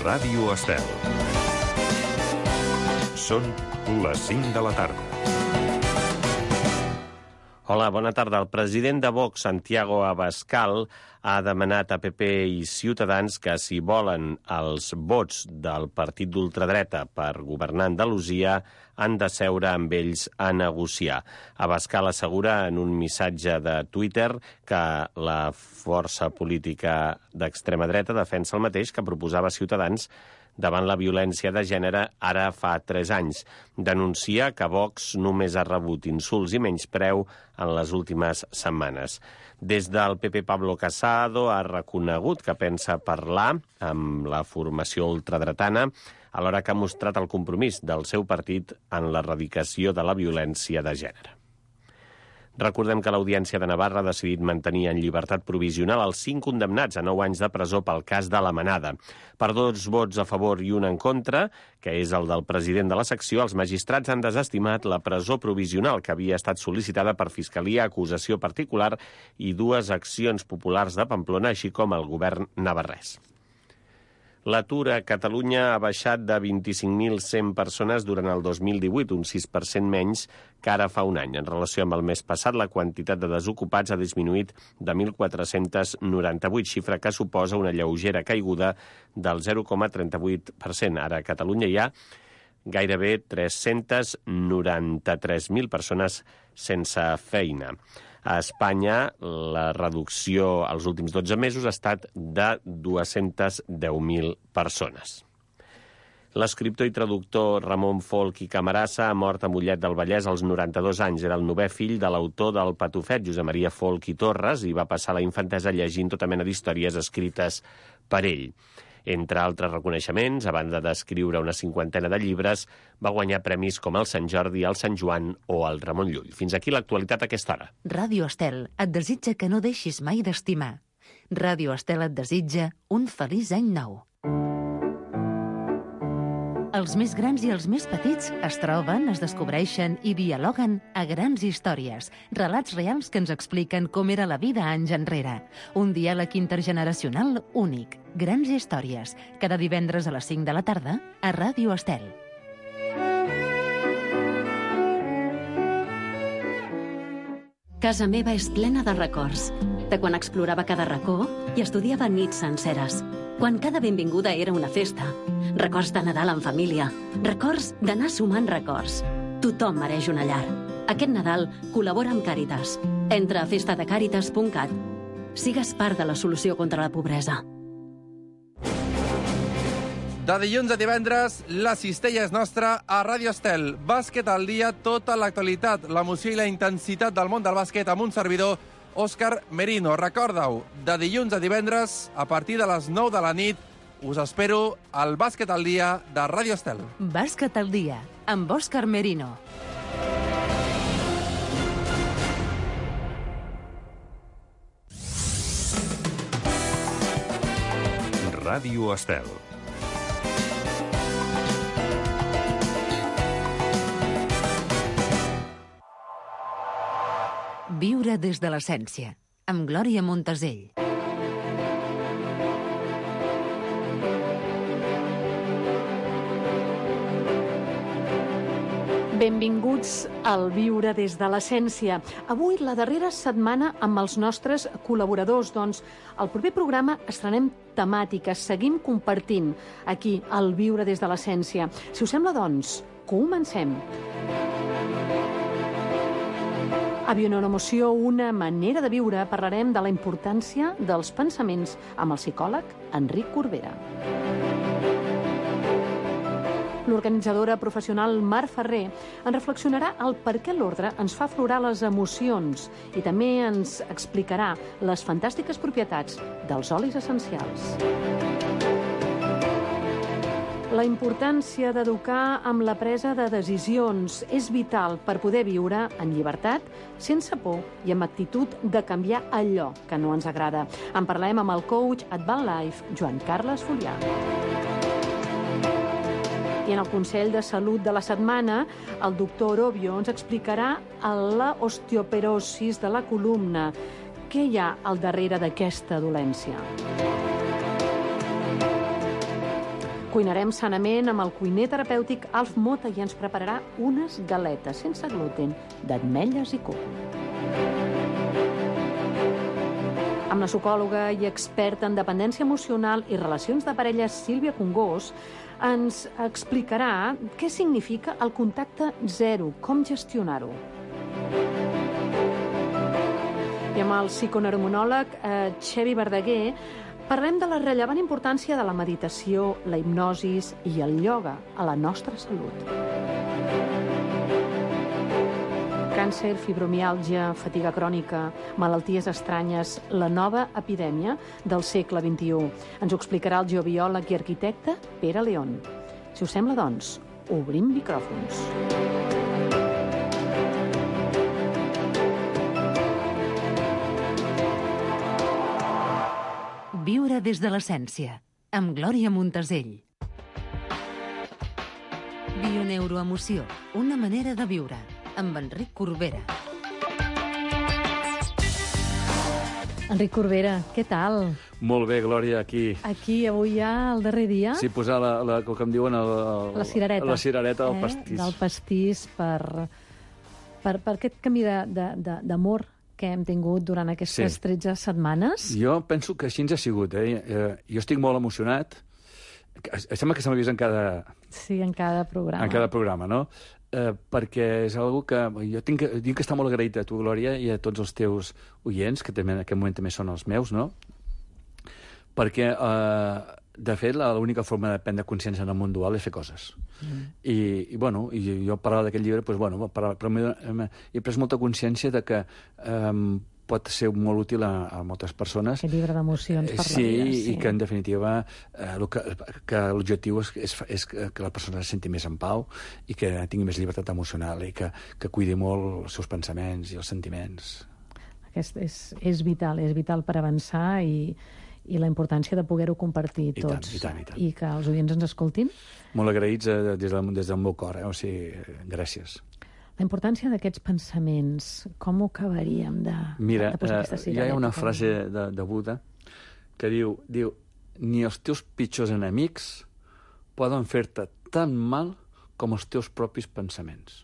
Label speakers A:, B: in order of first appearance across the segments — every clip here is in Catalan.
A: Ràdio Estel. Són les 5 de la tarda.
B: Hola, bona tarda. El president de Vox, Santiago Abascal, ha demanat a PP i Ciutadans que, si volen els vots del partit d'ultradreta per governar Andalusia, han de seure amb ells a negociar. Abascal assegura en un missatge de Twitter que la força política d'extrema dreta defensa el mateix que proposava Ciutadans davant la violència de gènere ara fa 3 anys. Denuncia que Vox només ha rebut insults i menyspreu en les últimes setmanes. Des del PP, Pablo Casado ha reconegut que pensa parlar amb la formació ultradretana, alhora que ha mostrat el compromís del seu partit en l'erradicació de la violència de gènere. Recordem que l'Audiència de Navarra ha decidit mantenir en llibertat provisional els 5 condemnats a 9 anys de presó pel cas de la Manada. Per 2 vots a favor i 1 en contra, que és el del president de la secció, els magistrats han desestimat la presó provisional que havia estat sol·licitada per Fiscalia, acusació particular i 2 accions populars de Pamplona, així com el govern navarrès. L'atur a Catalunya ha baixat de 25.100 persones durant el 2018, un 6% menys que ara fa un any. En relació amb el mes passat, la quantitat de desocupats ha disminuït de 1.498, xifra que suposa una lleugera caiguda del 0,38%. Ara a Catalunya hi ha gairebé 393.000 persones sense feina. A Espanya, la reducció als últims 12 mesos ha estat de 210.000 persones. L'escriptor i traductor Ramon Folch i Camarasa ha mort a Mollet del Vallès als 92 anys. Era el 9è fill de l'autor del Patufet, Josep Maria Folch i Torres, i va passar la infantesa llegint tota mena d'històries escrites per ell. Entre altres reconeixements, a banda d'escriure una 50ena de llibres, va guanyar premis com el Sant Jordi, el Sant Joan o el Ramon Llull. Fins aquí l'actualitat a aquesta hora.
C: Ràdio Estel et desitja que no deixis mai d'estimar. Ràdio Estel et desitja un feliç any nou. Els més grans i els més petits es troben, es descobreixen i dialoguen a Grans Històries, relats reals que ens expliquen com era la vida anys enrere. Un diàleg intergeneracional únic. Grans Històries, cada divendres a les 5 de la tarda a Ràdio Estel.
D: Casa meva és plena de records, de quan explorava cada racó i estudiava nits senceres, quan cada benvinguda era una festa, records de Nadal en família, records d'anar sumant records. Tothom mereix una llar. Aquest Nadal col·labora amb Càritas. Entra a festadecàritas.cat. Sigues part de la solució contra la pobresa.
E: De dilluns a divendres, la cistella és nostra a Ràdio Estel. Bàsquet al dia, tota l'actualitat, l'emoció i la intensitat del món del bàsquet amb un servidor, Òscar Merino. Recorda-ho, de dilluns a divendres, a partir de les 9 de la nit, us espero al Bàsquet al dia de Ràdio Estel.
C: Bàsquet al dia, amb Òscar Merino.
A: Ràdio Estel.
C: Viure des de l'essència, amb Glòria Montesell.
F: Benvinguts al Viure des de l'essència. Avui, la darrera setmana amb els nostres col·laboradors. Doncs, al proper programa estrenem temàtiques, seguim compartint aquí al Viure des de l'essència. Si us sembla, doncs, comencem. A Bionemoció, una manera de viure, parlarem de la importància dels pensaments amb el psicòleg Enric Corbera. L'organitzadora professional Mar Ferrer en reflexionarà el per què l'ordre ens fa aflorar les emocions i també ens explicarà les fantàstiques propietats dels olis essencials. La importància d'educar amb la presa de decisions és vital per poder viure en llibertat, sense por i amb actitud de canviar allò que no ens agrada. En parlem amb el coach Advan Life, Joan Carles Fulià. I en el Consell de Salut de la setmana, el doctor Orobio ens explicarà la osteoporosi de la columna. Què hi ha al darrere d'aquesta dolència? Cuinarem sanament amb el cuiner terapèutic Alf Mota i ens prepararà unes galetes sense gluten d'ametlles i coco. Amb la psicòloga i experta en dependència emocional i relacions de parella Sílvia Congós ens explicarà què significa el contacte zero, com gestionar-ho. I amb el psiconeuromonòleg Xevi Verdaguer parlem de la rellevant importància de la meditació, la hipnosis i el ioga a la nostra salut. Càncer, fibromiàlgia, fatiga crònica, malalties estranyes, la nova epidèmia del segle XXI. Ens ho explicarà el geobiòleg i arquitecte Pere León. Si us sembla, doncs, obrim micròfons.
C: Viure des de l'essència, amb Glòria Montesell. Bioneuroemoció, una manera de viure, amb Enric Corbera.
F: Enric Corbera, què tal?
G: Molt bé, Glòria, aquí.
F: Aquí, avui ja el darrer dia.
G: Sí, posar com em diuen,
F: la cirereta.
G: La cirereta del pastís.
F: Del pastís per aquest camí d'amor que hem tingut durant aquestes 13 setmanes.
G: Jo penso que així ens ha sigut. Jo estic molt emocionat. Sembla que se m'ha vist en cada...
F: Sí, en cada programa.
G: En cada programa, no? Perquè és algo que... Jo tinc que estar molt agraït a tu, Glòria, i a tots els teus oients, que també en aquest moment també són els meus, no? Perquè, de fet, l'única forma de prendre consciència en el món dual és fer coses. I jo parlava d'aquest llibre, però he pres molta consciència de que pot ser molt útil a moltes persones.
F: Aquest llibre d'emocions per la vida.
G: Sí, i que, en definitiva, que l'objectiu és que la persona es senti més en pau i que tingui més llibertat emocional i que cuidi molt els seus pensaments i els sentiments.
F: Aquest és vital per avançar i la importància de poder-ho compartir tots.
G: I tant.
F: I que els oients ens escoltin.
G: Molt agraïts des del meu cor, o sigui, gràcies.
F: La importància d'aquests pensaments, com ho acabaríem de posar aquesta cirereta?
G: Hi ha una frase de Buda que diu ni els teus pitjors enemics poden fer-te tan mal com els teus propis pensaments.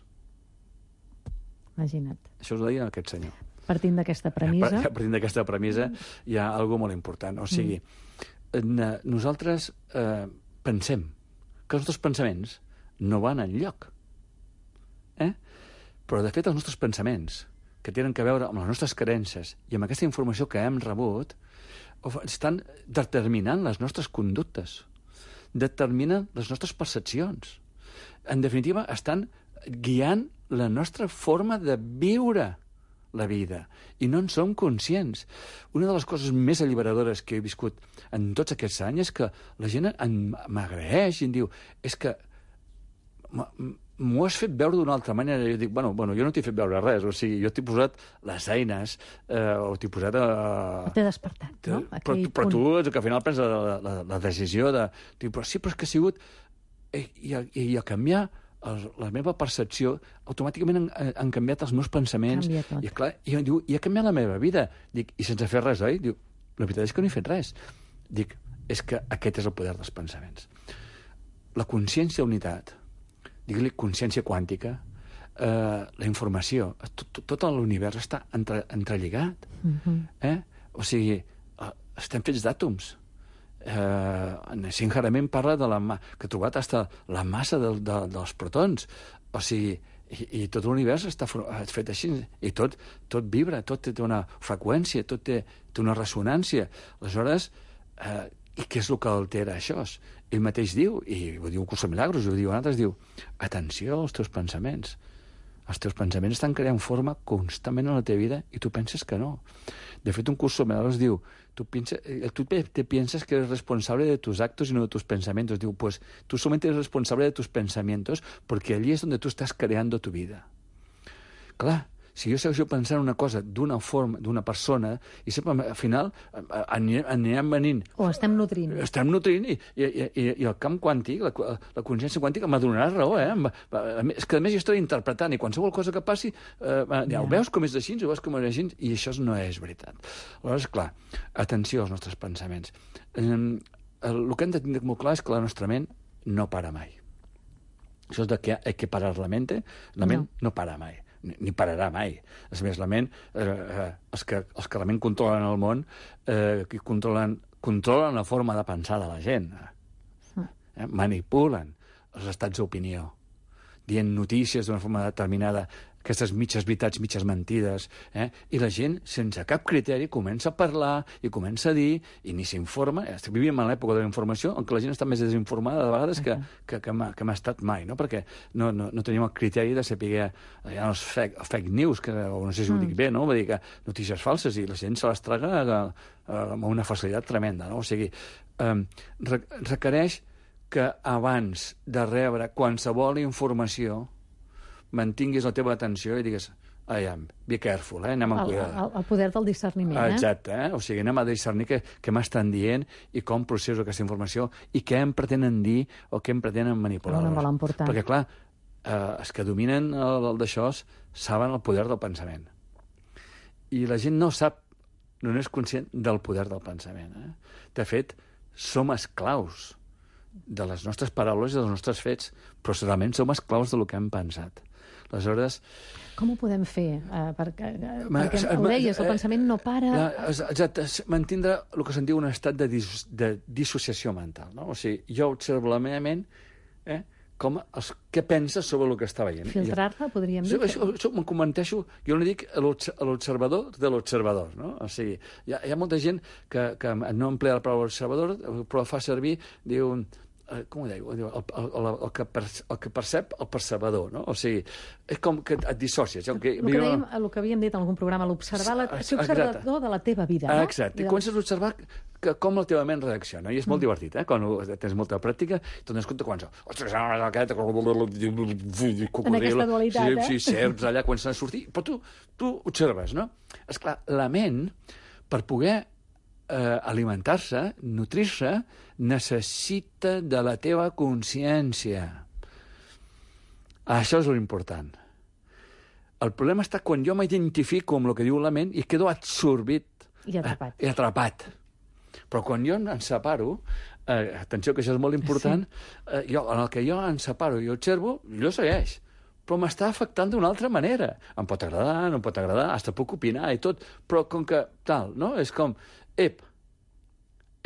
F: Imagina't.
G: Això us ho deia aquest senyor.
F: Partint d'aquesta premissa...
G: Partint d'aquesta premissa hi ha alguna molt important. O sigui, nosaltres pensem que els nostres pensaments no van enlloc. Però, de fet, els nostres pensaments, que tenen a veure amb les nostres creences i amb aquesta informació que hem rebut, estan determinant les nostres conductes, determinen les nostres percepcions. En definitiva, estan guiant la nostra forma de viure la vida, i no en som conscients. Una de les coses més alliberadores que he viscut en tots aquests anys és que la gent m'agraeix i em diu, és que m'ho has fet veure d'una altra manera. Jo dic, bueno, jo no t'he fet veure res, o sigui, jo t'he posat les eines, o t'he posat
F: T'he despertat, no?
G: Però tu, que al final prens la decisió de... Però sí, però és que ha sigut... I a canviar la meva percepció, automàticament han canviat els meus pensaments. I, clar, i ha canviat la meva vida. Dic, i sense fer res, oi? Diu, la veritat és que no he fet res. Dic, és que aquest és el poder dels pensaments. La consciència unitat, digue-li consciència quàntica, la informació, tot l'univers està entrelligat. O sigui, estem fets d'àtoms. Sincerament parla de que ha trobat fins la massa dels protons. O sigui, i tot l'univers està fet així, i tot vibra, tot té una freqüència, tot té una ressonància. Aleshores, i què és el que altera això? Ell mateix diu, i ho diu un curs de milagros, ho diu altres, diu, atenció als teus pensaments. Els teus pensaments estan creant forma constantment en la teva vida i tu penses que no. De fet, un curs de milagros diu, tú te piensas que eres responsable de tus actos y no de tus pensamientos. Digo, pues tú solamente eres responsable de tus pensamientos porque allí es donde tú estás creando tu vida. Clar, si jo segueixo pensant una cosa d'una forma, d'una persona, i sempre, al final, anirem venint...
F: O estem nutrint.
G: Estem nutrint, i el camp quàntic, la consciència quàntica, m'ha donat raó, És que, a més, jo estic interpretant, i qualsevol cosa que passi, ho veus com és així, ho veus com és així, i això no és veritat. Aleshores, clar, atenció als nostres pensaments. el que hem de tenir molt clar és que la nostra ment no para mai. Això és de que hay que parar la mente. La ment no para mai, ni pararà mai. És més, la ment, els que la ment controlen el món, que controlen la forma de pensar de la gent. Manipulen els estats d'opinió, dient notícies d'una forma determinada, aquestes mitges veritats, mitges mentides, i la gent, sense cap criteri, comença a parlar i comença a dir, i ni s'informa. Vivíem en l'època de la informació, en què la gent està més desinformada de vegades que m'ha estat mai, no? Perquè no tenim el criteri de saber hi ha els fake news, o no sé si ho dic bé, no? Vull dir que notícies falses, i la gent se les traga amb una facilitat tremenda, no? O sigui, requereix que abans de rebre qualsevol informació mantinguis la teva atenció i digues, be careful, anem amb cuidado.
F: El poder del discerniment,
G: Exacte, o sigui, anem a discernir què m'estan dient i com processo aquesta informació i què em pretenen dir o què em pretenen manipular. Perquè, clar, els que dominen el d'això saben el poder del pensament. I la gent no sap, no és conscient del poder del pensament. De fet, som esclaus de les nostres paraules i dels nostres fets, però realment som esclaus del que hem pensat. Aleshores...
F: Com ho podem fer? Perquè ho deies, el pensament no para...
G: Exacte, mantindre el que se'n diu un estat de dissociació mental. No? O sigui, jo observo la meva ment, què pensa sobre el que està veient.
F: Filtrar-la, podríem dir?
G: Això m'ho comenteixo, jo no dic l'observador de l'observador, no? O sigui, hi ha molta gent que no emplea la paraula observador, però fa servir, diu... com ho diu? El que percep el percebedor, no? O sigui, és com que et dissocies. El que
F: havíem dit en algun programa, ser observador de la teva vida, no?
G: Exacte, i comences a observar com la teva ment reacciona, i és molt divertit, quan tens molta pràctica, i te'n dones compte quan...
F: En aquesta dualitat,
G: Sí, serps allà, comencen a sortir, però tu observes, no? Esclar, la ment, per poder alimentar-se, nutrir-se, necessita de la teva consciència. Això és l'important. El problema està quan jo m'identifico amb el que diu la ment i quedo absorbit
F: i
G: atrapat. Però quan jo em separo, atenció que això és molt important, en el que jo em separo i observo, jo segueix. Però m'està afectant d'una altra manera. Em pot agradar, no em pot agradar, fins puc opinar i tot, però com que tal, no? És com,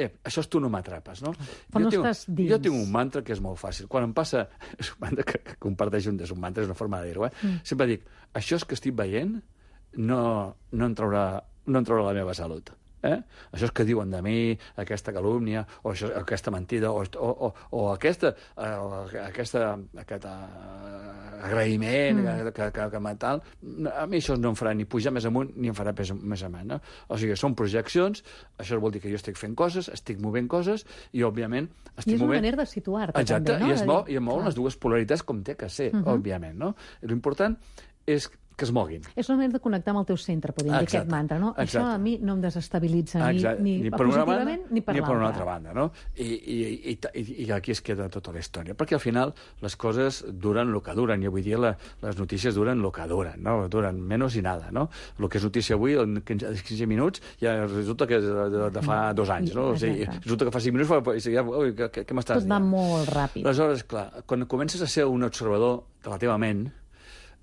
G: això tu no m'atrapes, no?
F: Però no estàs dins.
G: Jo tinc un mantra que és molt fàcil. Quan em passa... És un mantra que comparteixo, és un mantra, és una forma de dir-ho, Sempre dic, això que estic veient no em traurà la meva salut. Això és que diuen de mi, aquesta calúmnia, o aquesta mentida, o aquest agraïment, que tal, a mi això no em farà ni pujar més amunt ni em farà més amunt. No? O sigui, són projeccions, això vol dir que jo estic fent coses, estic movent coses, i òbviament estic movent...
F: I és una manera de situar-te,
G: exacte,
F: també, no?
G: I es mouen les dues polaritats com té que ser, òbviament, no? L'important és que es moguin.
F: És una manera de connectar amb el teu centre, podríem dir, aquest mantra, no?
G: Exacte.
F: Això a mi no em desestabilitza ni
G: per una banda
F: ni per
G: una altra banda, no? I aquí es queda tota la història, perquè al final les coses duren el que duren, i avui dia les notícies duren el que duren, no? Duren menys i nada, no? El que és notícia avui, en 15 minuts, ja resulta que és de fa 2 anys, no? O sigui, resulta que fa 5 minuts, què m'estàs dient?
F: Tot va molt ràpid.
G: Aleshores, clar, quan comences a ser un observador de la teva ment,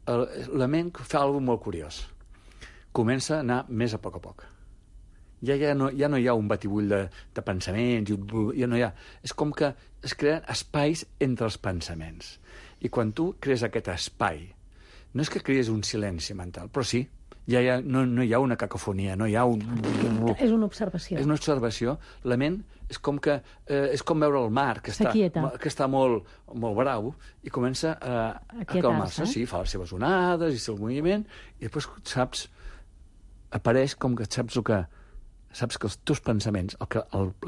G: la ment fa alguna cosa molt curiós. Comença a anar més a poc. Ja no hi ha un batibull de pensaments, ja no hi ha... És com que es creen espais entre els pensaments. I quan tu crees aquest espai, no és que crees un silenci mental, però sí, no hi ha una cacofonia, no hi ha un...
F: És una observació.
G: És una observació. La ment és com veure el mar, que està molt brau, i comença a calmar-se. Sí, fa les seves onades i el seu moviment, i després apareix com que saps que els teus pensaments,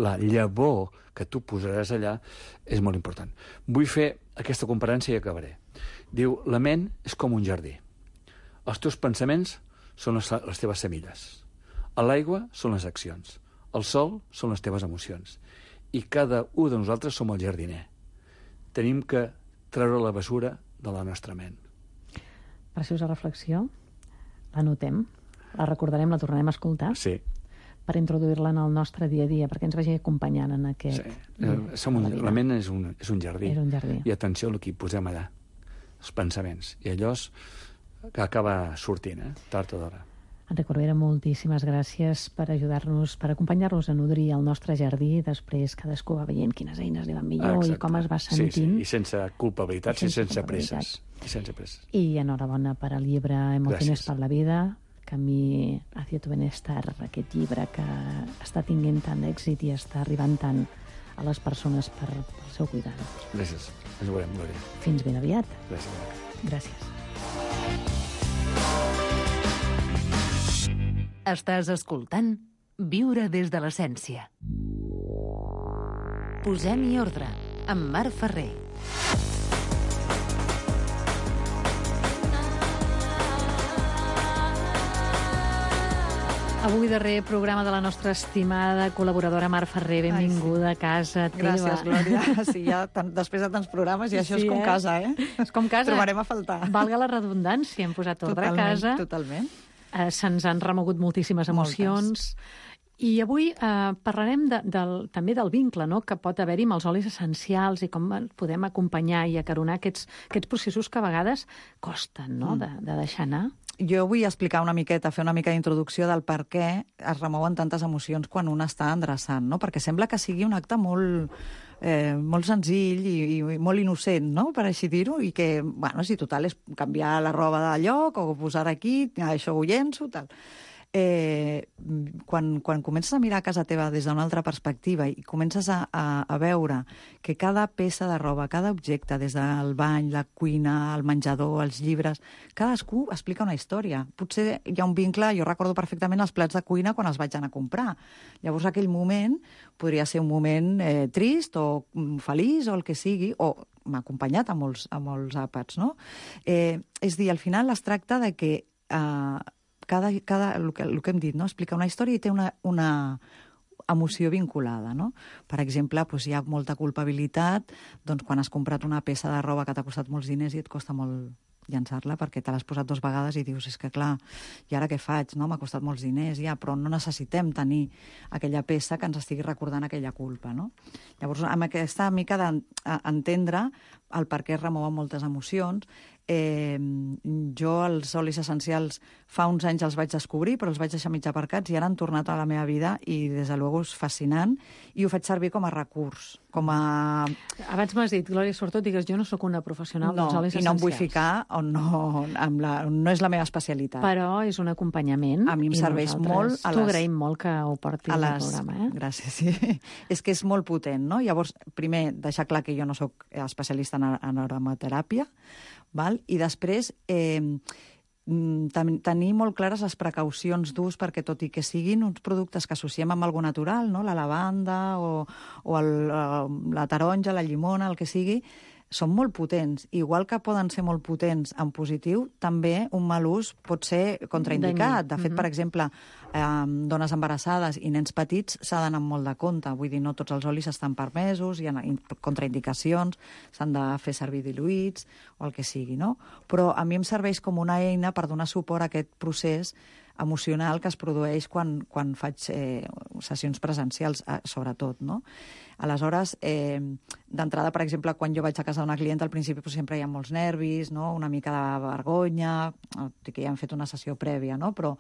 G: la llavor que tu posaràs allà, és molt important. Vull fer aquesta comparació i acabaré. Diu, la ment és com un jardí. Els teus pensaments són les teves semilles. L'aigua són les accions. El sol són les teves emocions. I cada un de nosaltres som el jardiner. Tenim que treure la bessura de la nostra ment.
F: Preciosa reflexió. La notem, la recordarem, la tornarem a escoltar.
G: Sí.
F: per introduir-la en el nostre dia a dia, perquè ens vagi acompanyant en aquest...
G: Sí. La ment és un jardí.
F: És un jardí.
G: I atenció al que hi posem allà, els pensaments. I allò que acaba sortint, tard o d'hora.
F: Enric Corbera, moltíssimes gràcies per ajudar-nos, per acompanyar-nos a nodrir el nostre jardí. Després cadascú va veient quines eines li van millor i com es va sentint.
G: Sí, i sense culpabilitats i sense presses.
F: I enhorabona per al llibre Emociones per la vida, Camí hacia tu bienestar, aquest llibre que està tinguent tant èxit i està arribant tant a les persones pel seu cuidado.
G: Gràcies. Ens veurem, Glòria.
F: Fins ben aviat.
G: Gràcies.
F: Gràcies.
C: Estàs escoltant Viure des de l'essència. Posem-hi ordre amb Marc Ferrer.
F: Avui darrer programa de la nostra estimada col·laboradora Mar Ferrer. Benvinguda a casa teva.
H: Gràcies, Glòria. Sí, ja després de tants programes, i això és com casa,
F: És com casa.
H: Trobarem a faltar.
F: Valga la redundància, hem posat ordre a casa.
H: Totalment.
F: Se'ns han remogut moltíssimes emocions. I avui parlarem també del vincle, no?, que pot haver-hi amb els olis essencials i com podem acompanyar i acaronar aquests processos que a vegades costen, no?, de deixar anar.
H: Jo vull explicar una miqueta, fer una mica d'introducció del per què es remouen tantes emocions quan un està endreçant, no? Perquè sembla que sigui un acte molt senzill i molt innocent, no?, per així dir-ho, i que, bueno, si total és canviar la roba de lloc o posar aquí, això ho llenço, tal. Quan comences a mirar a casa teva des d'una altra perspectiva i comences a veure que cada peça de roba, cada objecte, des del bany, la cuina, el menjador, els llibres, cadascú explica una història. Potser hi ha un vincle, jo recordo perfectament els plats de cuina quan els vaig anar a comprar. Llavors aquell moment podria ser un moment trist o feliç o el que sigui, o m'ha acompanyat a molts àpats, no? És dir, al final es tracta de que el que hem dit, no?, explica una història i té una emoció vinculada, no? Per exemple, doncs hi ha molta culpabilitat quan has comprat una peça de roba que t'ha costat molts diners i et costa molt llançar-la perquè te l'has posat 2 vegades i dius, és que clar, i ara què faig? No? M'ha costat molts diners, ja, però no necessitem tenir aquella peça que ens estigui recordant aquella culpa, no? Llavors, amb aquesta mica d'entendre el per què es remouen moltes emocions, jo els olis essencials fa uns anys els vaig descobrir, però els vaig deixar mig aparcats i ara han tornat a la meva vida i des de luego és fascinant i ho faig servir com a recurs, com a...
F: Abans m'has dit, Glòria, sobretot digues, jo no sóc una professional dels olis essencials.
H: I no em vull ficar on no és la meva especialitat.
F: Però és un acompanyament.
H: A mi em serveix molt...
F: T'ho agraïm molt que ho portis al programa,
H: Gràcies, sí. És que és molt potent, no? Llavors, primer, deixar clar que jo no sóc especialista en aromateràpia, val? I després tenir molt clares les precaucions d'ús perquè tot i que siguin uns productes que associem amb algo natural, no? La lavanda o la taronja, la llimona, el que sigui, són molt potents. Igual que poden ser molt potents en positiu, també un mal ús pot ser contraindicat. De fet, per exemple, dones embarassades i nens petits s'ha d'anar amb molt de compte. Vull dir, no tots els olis estan permesos, hi ha contraindicacions, s'han de fer servir diluïts o el que sigui, no? Però a mi em serveix com una eina per donar suport a aquest procés emocional que es produeix quan faig sessions presencials, sobretot, no? Aleshores, d'entrada, per exemple, quan jo vaig a casa d'una clienta, al principi sempre hi ha molts nervis, no? Una mica de vergonya, que ja hem fet una sessió prèvia, no? Però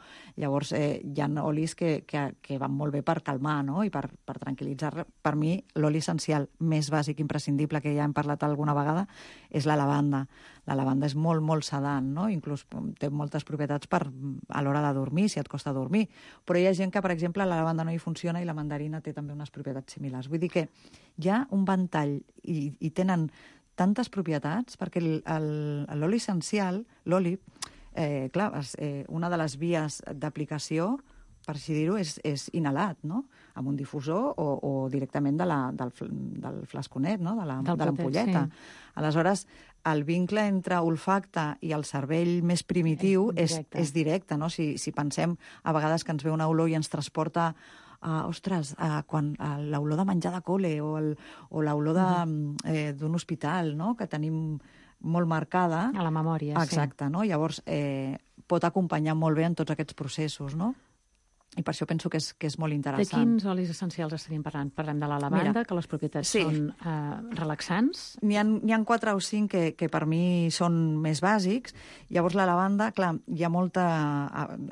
H: llavors hi ha olis que van molt bé per calmar, no? I per tranquil·litzar. Per mi, l'oli essencial més bàsic, imprescindible, que ja hem parlat alguna vegada, és la lavanda. La lavanda és molt, molt sedant, no? Inclús té moltes propietats a l'hora de dormir, si et costa dormir. Però hi ha gent que, per exemple, la lavanda no hi funciona i la mandarina té també unes propietats similars. Vull dir que hi ha un ventall i tenen tantes propietats, perquè l'oli essencial, l'oli, clar, una de les vies d'aplicació, per així dir-ho, és inhalat, no? Amb un difusor o directament del flasconet, no? De l'ampolleta. Sí. Aleshores, el vincle entre olfacte i el cervell més primitiu és directe, no? Si pensem a vegades que ens ve una olor i ens transporta quan l'olor de menjar de col·le o l'olor d'un hospital, no? Que tenim molt marcada.
F: A la memòria,
H: exacte, no? Llavors, pot acompanyar molt bé en tots aquests processos, no? I per això penso que és molt
F: De
H: interessant.
F: quins olis essencials estaríem parlant? Parlem de la lavanda,
H: Mira,
F: que les propietats
H: sí.
F: són relaxants.
H: N'hi ha 4 o 5 que per mi són més bàsics. Llavors, la lavanda, clar, hi ha molta...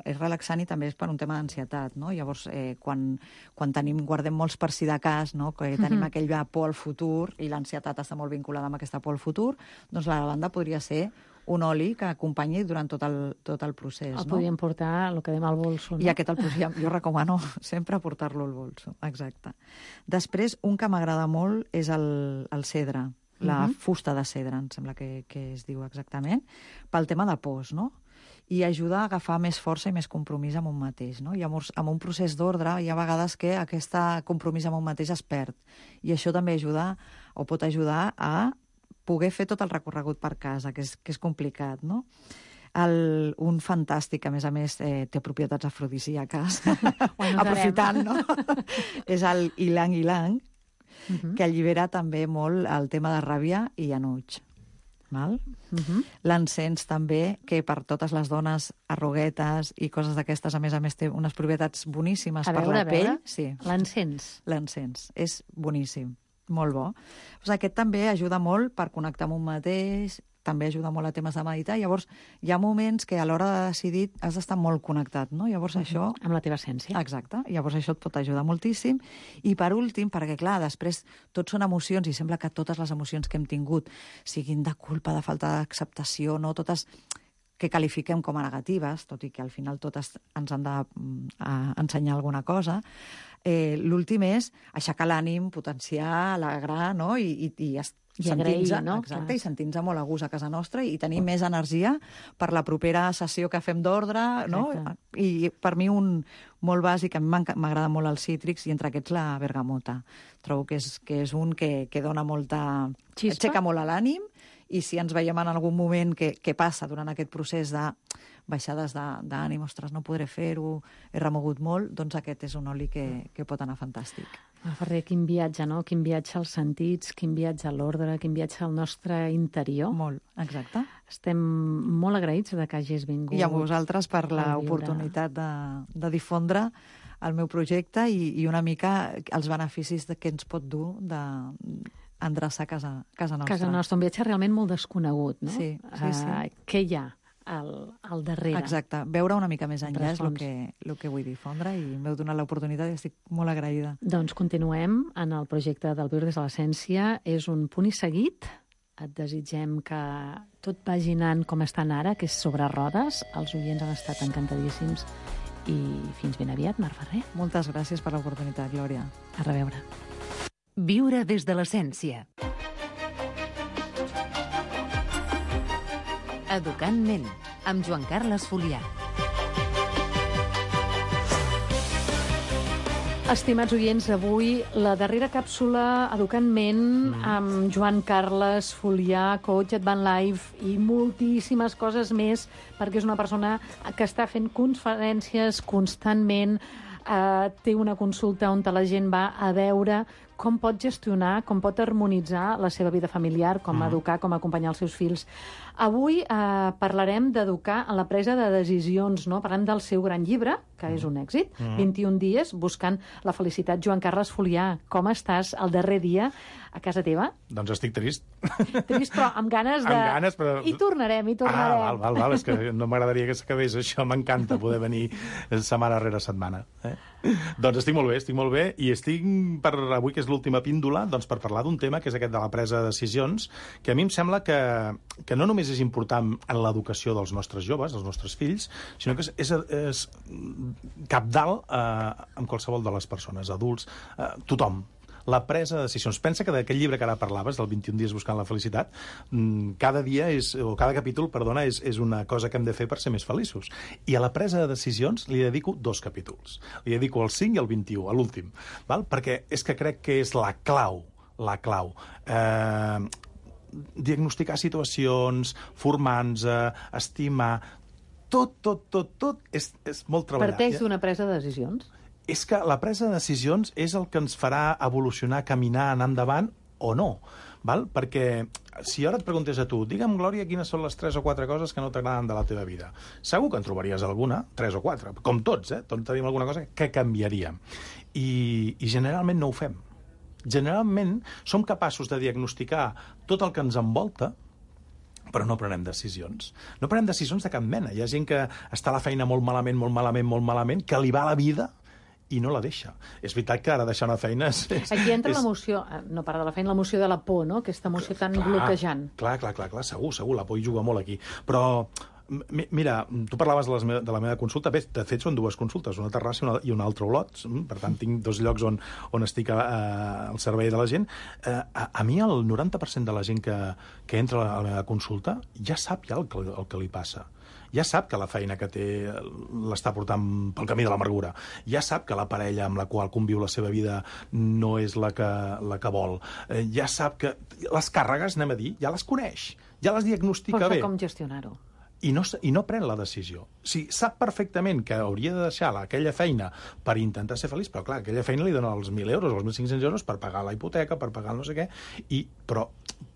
H: És relaxant i també és per un tema d'ansietat, no? Llavors, quan guardem molts per si de cas, no? Que tenim aquell por al futur i l'ansietat està molt vinculada amb aquesta por al futur, doncs la lavanda podria ser un oli que acompanyi durant tot el procés.
F: El podríem portar, el que dèiem, al bolso. No?
H: I aquest jo recomano sempre portar-lo al bolso, exacte. Després, un que m'agrada molt és el cedre, la fusta de cedre, em sembla que es diu exactament, pel tema de pors, no? I ajuda a agafar més força i més compromís amb un mateix, no? Llavors, amb un procés d'ordre, hi ha vegades que aquest compromís amb un mateix es perd. I això també ajuda, o pot ajudar a poder fer tot el recorregut per casa, que és complicat, no? Un fantàstic, a més, té propietats afrodisíaques, aprofitant, no? És el ilang-ilang, que allibera també molt el tema de ràbia i enuig. Val? L'encens també, que per totes les dones arruguetes i coses d'aquestes, a més, té unes propietats boníssimes per la pell. Sí.
F: L'encens.
H: L'encens. És boníssim. Molt bo. Aquest també ajuda molt per connectar amb un mateix, també ajuda molt a temes de meditar. Llavors, hi ha moments que a l'hora de decidir has d'estar molt connectat, no? Llavors això...
F: Amb la teva essència.
H: Exacte. Llavors això et pot ajudar moltíssim. I per últim, perquè clar, després tot són emocions i sembla que totes les emocions que hem tingut siguin de culpa, de falta d'acceptació, no? Totes que qualifiquem com a negatives, tot i que al final totes ens han d'ensenyar alguna cosa. L'últim és aixecar l'ànim, potenciar, alegrar, no? I
F: agrair, no?
H: Exacte, i sentir-nos molt a gust a casa nostra i tenir més energia per la propera sessió que fem d'ordre, no? I per mi un molt bàsic, a mi m'agrada molt els cítrics i entre aquests la bergamota. Trobo que és un que dona molta...
F: Xispa.
H: Aixeca molt l'ànim i si ens veiem en algun moment que passa durant aquest procés de baixades d'ànim, ostres, no podré fer-ho, he remogut molt, doncs aquest és un oli que pot anar fantàstic.
F: Ferrer, quin viatge, no? Quin viatge als sentits, quin viatge a l'ordre, quin viatge al nostre interior.
H: Molt, exacte.
F: Estem molt agraïts de que hagis vingut.
H: I a vosaltres per l'oportunitat de difondre el meu projecte i una mica els beneficis que ens pot dur d'endreçar casa nostra.
F: Casa nostra, un viatge realment molt desconegut, no?
H: Sí.
F: Què hi ha al darrere?
H: Exacte, veure una mica més enllà és el que vull difondre i m'heu donat l'oportunitat i estic molt agraïda.
F: Doncs continuem en el projecte del Viure des de l'Essència. És un punt i seguit. Et desitgem que tot vagi anant com estan ara, que és sobre rodes. Els oients han estat encantadíssims i fins ben aviat, Mar Ferrer.
H: Moltes gràcies per l'oportunitat, Glòria.
F: A reveure.
C: Viure des de l'essència. Educant ment, amb Joan Carles Folià.
F: Estimats oients, avui la darrera càpsula Educant ment amb Joan Carles Folià, coach Advan Life i moltíssimes coses més, perquè és una persona que està fent conferències constantment, té una consulta on la gent va a veure com pot gestionar, com pot harmonitzar la seva vida familiar, com educar, com acompanyar els seus fills. Avui parlarem d'educar en la presa de decisions, no? Parlem del seu gran llibre, que és un èxit, 21 dies buscant la felicitat. Joan Carles Folià, com estàs el darrer dia a casa teva?
I: Doncs estic trist.
F: Trist, però amb ganes de...
I: Amb ganes, però...
F: I tornarem.
I: Val, és que no m'agradaria que s'acabés això, m'encanta poder venir setmana rere setmana. Doncs estic molt bé, i estic per avui, que és l'última píndola, doncs per parlar d'un tema que és aquest de la presa de decisions, que a mi em sembla que no només és important en l'educació dels nostres joves, dels nostres fills, sinó que és cabdal amb qualsevol de les persones, adults, tothom. La presa de decisions. Pensa que d'aquest llibre que ara parlaves, del 21 dies buscant la felicitat, cada capítol, és una cosa que hem de fer per ser més feliços. I a la presa de decisions li dedico 2 capítols. Li dedico el 5 i el 21, a l'últim. Perquè és que crec que és la clau. Diagnosticar situacions, formar-nos, estimar... Tot és molt treballat.
F: Parteix d'una presa de decisions?
I: És que la presa de decisions és el que ens farà evolucionar, caminar, anar endavant o no. Val? Perquè si ara et preguntés a tu, digue'm, Glòria, quines són les 3 o 4 coses que no t'agraden de la teva vida. Segur que en trobaries alguna, 3 o 4, com tots, tots tenim alguna cosa que canviaríem. I generalment no ho fem. Generalment som capaços de diagnosticar tot el que ens envolta, però no prenem decisions. No prenem decisions de cap mena. Hi ha gent que està a la feina molt malament, que li va la vida i no la deixa. És veritat que ara deixar una feina...
F: Aquí entra l'emoció, no part de la feina, l'emoció de la por, no? Aquesta emoció tan bloquejant.
I: Clar, segur, la por hi juga molt aquí. Però, mira, tu parlaves de la meva consulta, bé, de fet són 2 consultes, una a Terrassa i una altra a Olot, per tant tinc 2 llocs on estic al servei de la gent. A mi el 90% de la gent que entra a la meva consulta ja sap el que li passa. Ja sap que la feina que té l'està portant pel camí de l'amargura. Ja sap que la parella amb la qual conviu la seva vida no és la que vol. Ja sap que les càrregues, anem a dir, ja les coneix. Ja les diagnostica bé.
F: Però com gestionar-ho?
I: I no pren la decisió. Sap perfectament que hauria de deixar aquella feina per intentar ser feliç, però clar, aquella feina li dona els 1.000 euros o els 1.500 euros per pagar la hipoteca, per pagar el no sé què,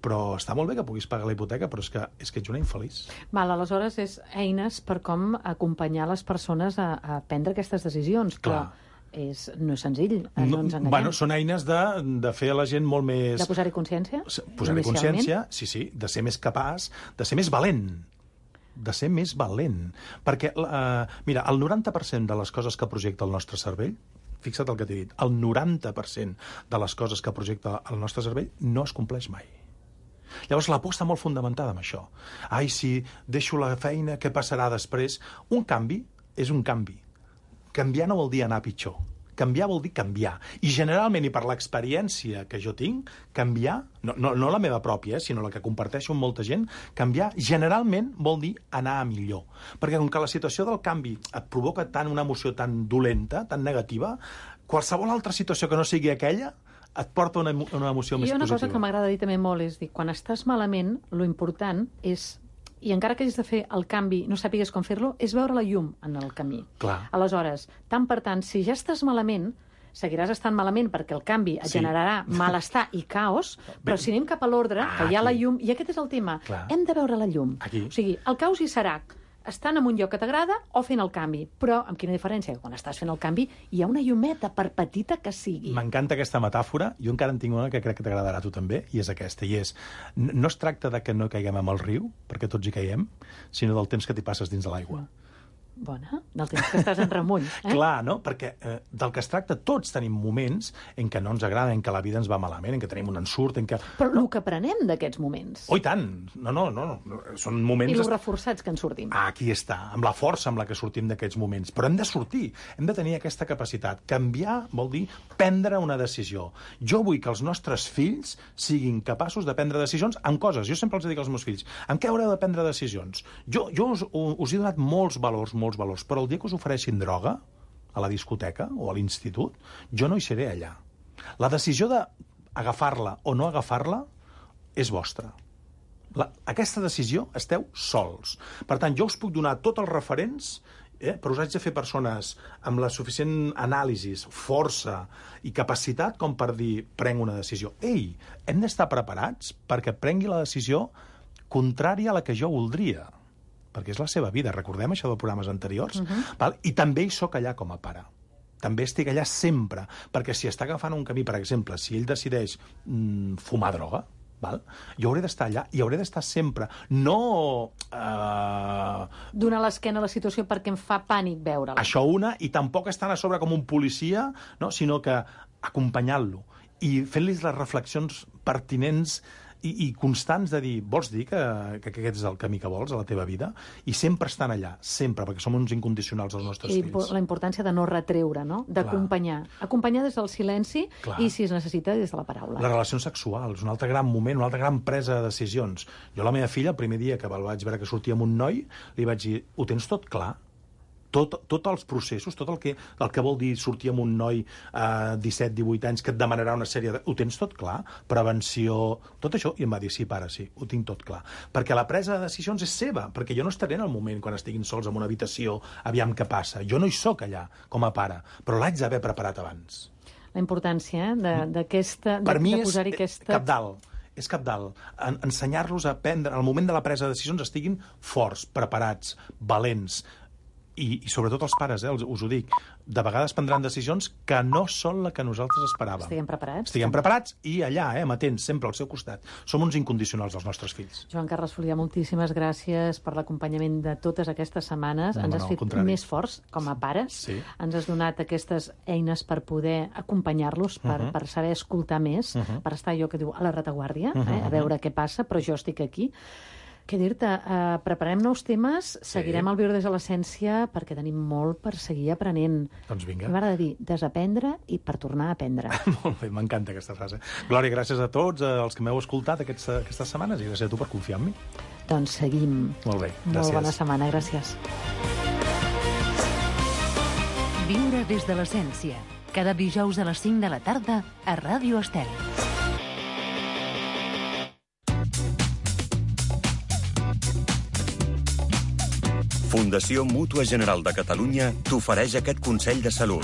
I: però està molt bé que puguis pagar la hipoteca, però és que ets una infeliç.
F: Aleshores, és eines per com acompanyar les persones a prendre aquestes decisions.
I: Clar.
F: No és senzill, no ens enganyem.
I: Bueno, són eines de fer a la gent molt més...
F: De posar-hi consciència?
I: Posar-hi consciència, sí, de ser més capaç, de ser més valent. Perquè, mira, el 90% de les coses que projecta el nostre cervell, fixa't el que t'he dit, el 90% de les coses que projecta el nostre cervell no es compleix mai. Llavors, la por està molt fundamentada en això. Ai, si deixo la feina, què passarà després? Un canvi és un canvi. Canviar no vol dir anar a pitjor. Canviar vol dir canviar. I generalment, i per l'experiència que jo tinc, canviar, no la meva pròpia, sinó la que comparteixo amb molta gent, canviar generalment vol dir anar a millor. Perquè com que la situació del canvi et provoca tant una emoció tan dolenta, tan negativa, qualsevol altra situació que no sigui aquella et porta una emoció més positiva.
F: I una cosa que m'agrada dir també molt és dir, quan estàs malament, lo important és, i encara que hagis de fer el canvi, no sàpigues com fer-lo, és veure la llum en el camí.
I: Clar.
F: Aleshores, tant per tant, si ja estàs malament, seguiràs estant malament perquè el canvi et generarà malestar i caos, però si anem cap a l'ordre, que hi ha la llum, i aquest és el tema, hem de veure la llum.
I: Aquí.
F: O sigui, el caos hi serà estant en un lloc que t'agrada o fent el canvi. Però amb quina diferència? Quan estàs fent el canvi hi ha una llumeta, per petita que sigui.
I: M'encanta aquesta metàfora. Jo encara en tinc una que crec que t'agradarà a tu també, i és aquesta. I és, no es tracta de que no caiguem amb el riu, perquè tots hi caiem, sinó del temps que t'hi passes dins de l'aigua.
F: Bona, del temps que estàs en remull.
I: Clar, no? Perquè del que es tracta, tots tenim moments en què no ens agrada, en què la vida ens va malament, en què tenim un ensurt, en què...
F: Però el que aprenem d'aquests moments...
I: Oh, i tant! No. Són moments...
F: I els reforçats que en sortim.
I: Aquí està, amb la força amb la que sortim d'aquests moments. Però hem de sortir, hem de tenir aquesta capacitat. Canviar vol dir prendre una decisió. Jo vull que els nostres fills siguin capaços de prendre decisions en coses. Jo sempre els dic als meus fills, en què haureu de prendre decisions? Jo us he donat molts valors, però el dia que us ofereixin droga a la discoteca o a l'institut, jo no hi seré allà. La decisió d'agafar-la o no agafar-la és vostra. Aquesta decisió esteu sols. Per tant, jo us puc donar tots els referents, però us haig de fer persones amb la suficient anàlisi, força i capacitat com per dir, prenc una decisió. Ei, hem d'estar preparats perquè prengui la decisió contrària a la que jo voldria, perquè és la seva vida. Recordem això de programes anteriors? Val? I també hi soc allà com a pare. També estic allà sempre, perquè si està agafant un camí, per exemple, si ell decideix fumar droga, val? Jo hauré d'estar allà i hauré d'estar sempre. No...
F: donar l'esquena a la situació perquè em fa pànic veure-la.
I: Això una, i tampoc estant a sobre com un policia, no? Sinó que acompanyant-lo i fent-li les reflexions pertinents i constants de dir, vols dir que aquest és el camí que vols a la teva vida? I sempre estan allà, sempre, perquè som uns incondicionals als nostres fills.
F: La importància de no retreure, no? D'acompanyar. Acompanyar des del silenci i, si es necessita, des de la paraula.
I: Les relacions sexuals, un altre gran moment, una altra gran presa de decisions. Jo a la meva filla, el primer dia que el vaig veure que sortia amb un noi, li vaig dir, ho tens tot clar? Tots els processos, tot el que vol dir sortir amb un noi a 17-18 anys que et demanarà una sèrie de... Ho tens tot clar? Prevenció... Tot això. I em va dir, sí, pare, sí, ho tinc tot clar. Perquè la presa de decisions és seva, perquè jo no estaré en el moment quan estiguin sols en una habitació, aviam què passa. Jo no hi soc allà, com a pare, però l'haig d'haver preparat abans.
F: La importància d'aquesta...
I: Per mi és
F: posar-hi aquesta...
I: cabdal. És cabdal. Ensenyar-los a prendre, al moment de la presa de decisions, estiguin forts, preparats, valents, i sobretot els pares, us ho dic, de vegades prendran decisions que no són la que nosaltres esperàvem.
F: Estiguem preparats.
I: Estiguem preparats i allà, amatents, sempre al seu costat. Som uns incondicionals dels nostres fills.
F: Joan Carles Folià, moltíssimes gràcies per l'acompanyament de totes aquestes setmanes. Ens has fet més forts com a pares.
I: Sí.
F: Ens has donat aquestes eines per poder acompanyar-los, per saber escoltar més, per estar, allò que diu, a la retaguardia, a veure què passa, però jo estic aquí. Què dir-te? Preparem nous temes, seguirem el Viure des de l'Essència, perquè tenim molt per seguir aprenent.
I: Doncs vinga.
F: M'agrada dir desaprendre i per tornar a aprendre.
I: Molt bé, m'encanta aquesta frase. Glòria, gràcies a tots els que m'heu escoltat aquestes setmanes i gràcies a tu per confiar en mi.
F: Doncs seguim.
I: Molt bé, gràcies.
F: Molt bona setmana, gràcies.
C: Viure des de l'Essència. Cada dijous a les 5 de la tarda a Ràdio Estel.
A: Fundació Mútua General de Catalunya t'ofereix aquest consell de salut.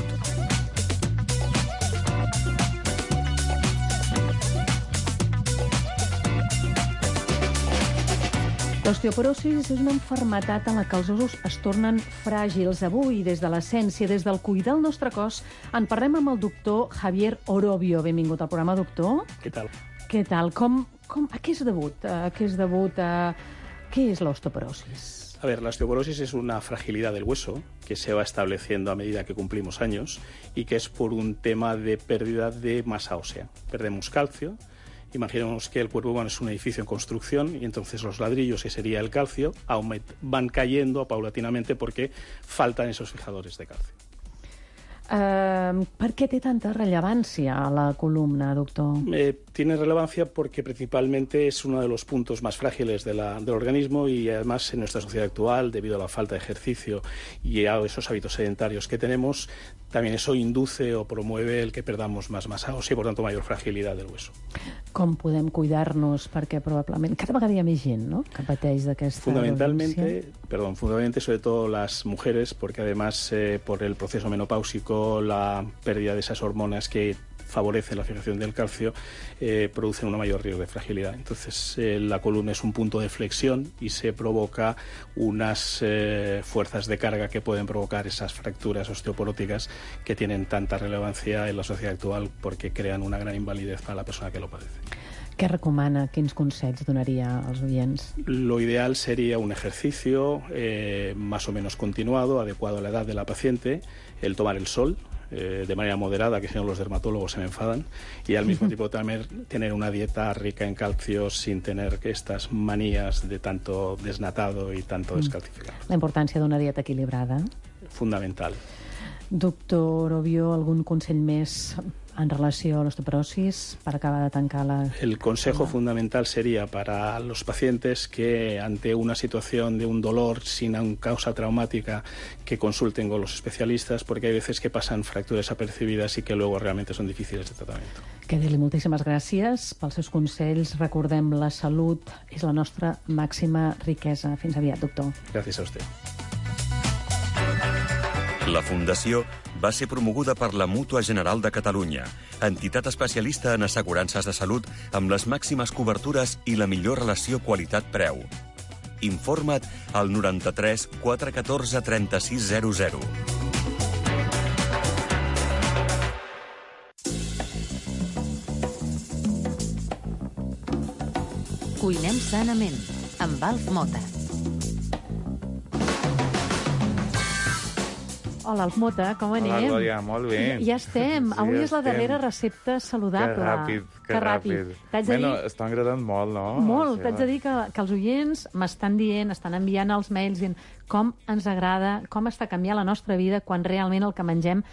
F: L'osteoporosis és una malaltia en la que els ossos es tornen fràgils. Avui, des de l'Essència, des del cuidar el nostre cos, en parlem amb el doctor Javier Orobio. Benvingut al programa, doctor.
J: Què tal?
F: Què tal? A què és debut? Què és l'osteoporosis?
J: A ver, la osteoporosis es una fragilidad del hueso que se va estableciendo a medida que cumplimos años y que es por un tema de pérdida de masa ósea. Perdemos calcio. Imaginemos que el cuerpo humano es un edificio en construcción y entonces los ladrillos, que sería el calcio, van cayendo paulatinamente porque faltan esos fijadores de calcio.
F: Per què té tanta rellevància a la columna, doctor?
J: Tiene relevancia porque principalmente es uno de los puntos más frágiles del organismo y además en nuestra sociedad actual, debido a la falta de ejercicio y a esos hábitos sedentarios que tenemos, también eso induce o promueve el que perdamos más masa ósea y por tanto mayor fragilidad del hueso.
F: Com podem cuidar-nos? Perquè probablement cada vegada hi ha més gent, no?, que pateix d'aquesta
J: Fundamentalmente, sobre todo las mujeres, porque además por el proceso menopáusico, la pérdida de esas hormonas que favorecen la fijación del calcio, producen un mayor riesgo de fragilidad. Entonces, la columna es un punto de flexión y se provoca unas fuerzas de carga que pueden provocar esas fracturas osteoporóticas que tienen tanta relevancia en la sociedad actual porque crean una gran invalidez para la persona que lo padece.
F: Què recomana? Quins consells donaria als oients?
J: Lo ideal sería un ejercicio más o menos continuado, adecuado a la edad de la paciente, el tomar el sol, de manera moderada, que si no los dermatólogos se me enfadan, y al mismo tiempo también tener una dieta rica en calcio sin tener estas manías de tanto desnatado y tanto descalcificado.
F: La importància d'una dieta equilibrada.
J: Fundamental.
F: Doctor Orobio, algun consell més en relació a l'osteoporosis para acabar de tancar la...
J: El consejo fundamental sería para los pacientes que ante una situación de un dolor sin una causa traumática que consulten con los especialistas porque hay veces que pasan fracturas apercibidas y que luego realmente son difíciles de tratamiento.
F: Dir-li moltíssimes gràcies pels seus consells. Recordem, la salut és la nostra màxima riquesa. Fins aviat, doctor.
J: Gràcies a usted.
A: La Fundació va ser promoguda per la Mútua General de Catalunya, entitat especialista en assegurances de salut amb les màximes cobertures i la millor relació qualitat-preu. Informa't al 93 414 3600.
C: Cuinem sanament, amb Alf Mota.
F: Hola, Alf Mota, com anem?
K: Hola, Glòria, molt bé.
F: Ja estem.
K: Sí,
F: Avui
K: ja
F: és la darrera recepta saludable.
K: Que ràpid. Bueno, està agradant molt, no?
F: Molt. T'haig de dir que els oients m'estan dient, estan enviant els mails dient com ens agrada, com està canviant la nostra vida quan realment el que mengem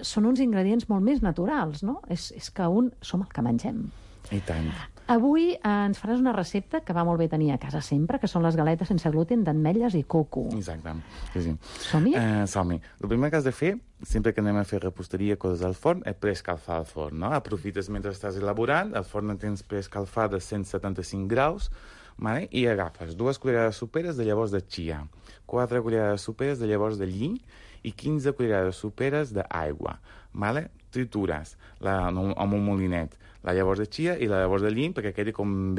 F: són uns ingredients molt més naturals, no? És que som el que mengem.
K: I tant.
F: Avui ens faràs una recepta que va molt bé tenir a casa sempre, que són les galetes sense gluten d'ametlles i coco.
K: Exacte, sí.
F: Som-hi?
K: Som-hi. El primer que has de fer, sempre que anem a fer reposteria, coses al forn, és preescalfar el forn, no? Aprofites mentre estàs elaborant, el forn el tens preescalfat a 175 graus, vale? I agafes 2 cullerades soperes de llavors de chia, 4 cullerades soperes de llavors de lli i 15 cullerades soperes d'aigua, vale? tritures amb un molinet la llavors de chia i la llavors de llim perquè quedi com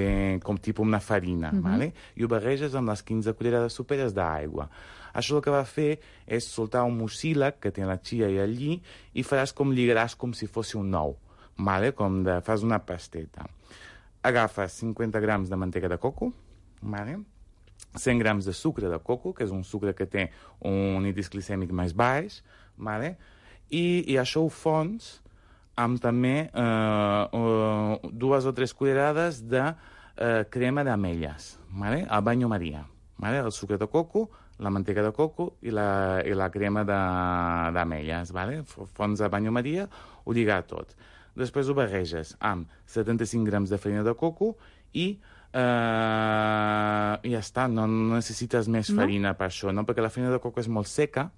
K: tipus una farina, vale? I ho barreges amb les 15 cullerades soperes d'aigua. Això el que va fer és soltar un mucílag que té la chia i el lli i lligaràs com si fos un ou, vale? Fas una pasteta. Agafes 50 grams de manteca de coco, vale? 100 grams de sucre de coco, que és un sucre que té un índex glicèmic més baix, vale? I això ho fons amb també 2 o 3 cullerades de crema d'ametlles, vale? Al banyo Maria, vale? El sucre de coco, la manteca de coco i la crema d'ametlles, vale? Fons a banyo Maria, ho lligar tot. Després ho barreges amb 75 grams de farina de coco i ja està, no necessites més farina per això, no? Perquè la farina de coco és molt seca,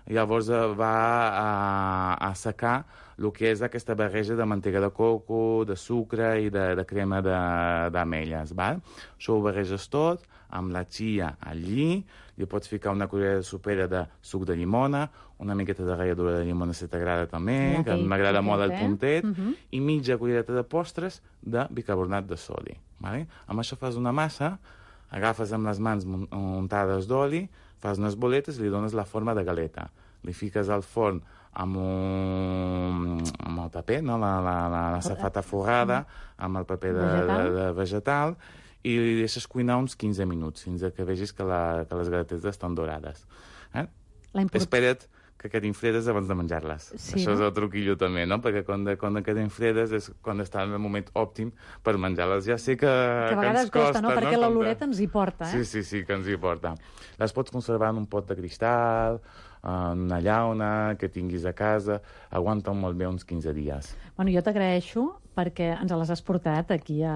K: llavors va a secar el que és aquesta barreja de manteca de coco, de sucre i de crema d'ametlles, val? Això ho barreges tot amb la chia al lli, li pots ficar una cullerada sopera de suc de llimona, una miqueta de ralladura de llimona si t'agrada també, que m'agrada molt el puntet, i mitja cullereta de postres de bicarbonat de sodi. Vale? Amb això fas una massa, agafes amb les mans untades d'oli, fas unes boletes i li dones la forma de galeta. Li fiques al forn amb el paper, no? La safata forrada, amb el paper de vegetal, i li deixes cuinar uns 15 minuts, fins que vegis que les galetes estan dorades. Espera't que quedin fredes abans de menjar-les. Sí, això és el truquillo també, no? Perquè quan quedin fredes és quan està en el moment òptim per menjar-les. Ja sé que
F: a vegades
K: ens costa,
F: no? Perquè l'oloreta ens hi porta,
K: Sí, que ens hi porta. Les pots conservar en un pot de cristal, en una llauna que tinguis a casa, aguanten molt bé uns 15 dies.
F: Bueno, jo t'agraeixo perquè ens les has portat aquí a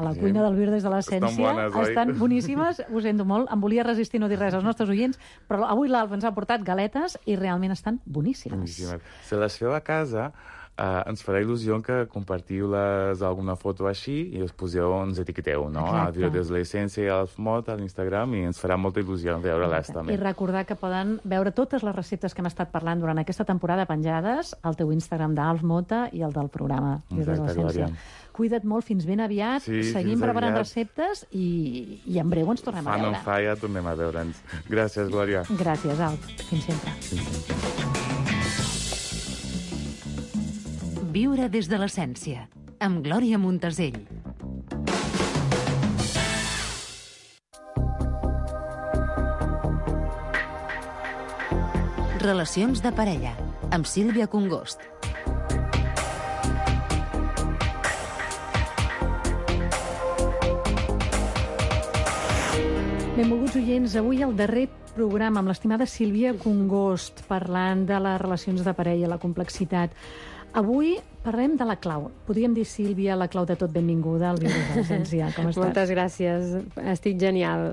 F: la cuina del Viure des de l'Essència. Estan boníssimes, ho sento molt. Em volia resistir no dir res als nostres oients, però avui l'Alf ens ha portat galetes i realment estan boníssimes.
K: Si les feu a casa, ens farà il·lusió que compartiu-les alguna foto així i ens etiqueteu, no? A Viure des de l'Essència i Alf Mot a l'Instagram, i ens farà molta il·lusió veure-les també.
F: I recordar que poden veure totes les receptes que hem estat parlant durant aquesta temporada penjades al teu Instagram d'Alf Mota i el del programa Viure des de l'Essència. Cuida't molt, fins ben aviat, seguim preparant receptes i en breu ens tornem a veure.
K: Fa no fa, ja tornem a veure'ns. Gràcies, Glòria.
F: Gràcies, Alf. Fins sempre.
C: Viure des de l'Essència, amb Glòria Montesell. Relacions de parella, amb Sílvia Congost.
F: Benvolguts oients, avui el darrer programa amb l'estimada Sílvia Congost, parlant de les relacions de parella, la complexitat. Avui parlem de la clau. Podríem dir, Sílvia, la clau de tot. Benvinguda al Viure des de l'Essència. Com estàs?
L: Moltes gràcies. Estic genial.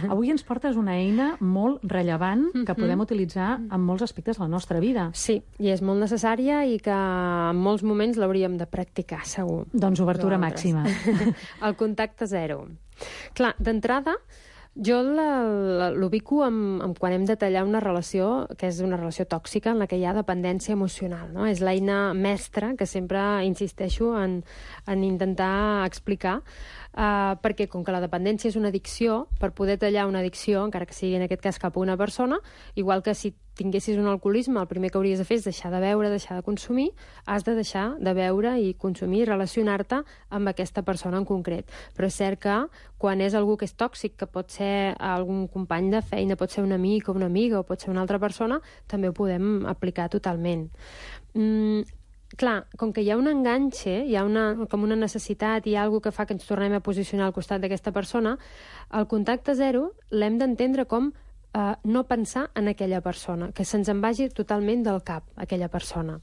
F: Avui ens portes una eina molt rellevant que podem utilitzar en molts aspectes de la nostra vida.
L: Sí, i és molt necessària i que en molts moments l'hauríem de practicar, segur.
F: Doncs obertura màxima.
L: El contacte zero. Clar, d'entrada, jo l'ubico quan hem de tallar una relació que és una relació tòxica en la que hi ha dependència emocional, no? És l'eina mestra que sempre insisteixo en intentar explicar, perquè com que la dependència és una addicció, per poder tallar una addicció, encara que sigui en aquest cas cap a una persona, igual que si tinguessis un alcoholisme, el primer que hauries de fer és deixar de beure, deixar de consumir, has de deixar de beure i consumir i relacionar-te amb aquesta persona en concret. Però és cert que quan és algú que és tòxic, que pot ser algun company de feina, pot ser un amic o una amiga o pot ser una altra persona, també ho podem aplicar totalment. Clar, com que hi ha un enganxe, hi ha com una necessitat, hi ha alguna que fa que ens tornem a posicionar al costat d'aquesta persona, el contacte zero l'hem d'entendre com no pensar en aquella persona, que se'ns en vagi totalment del cap aquella persona.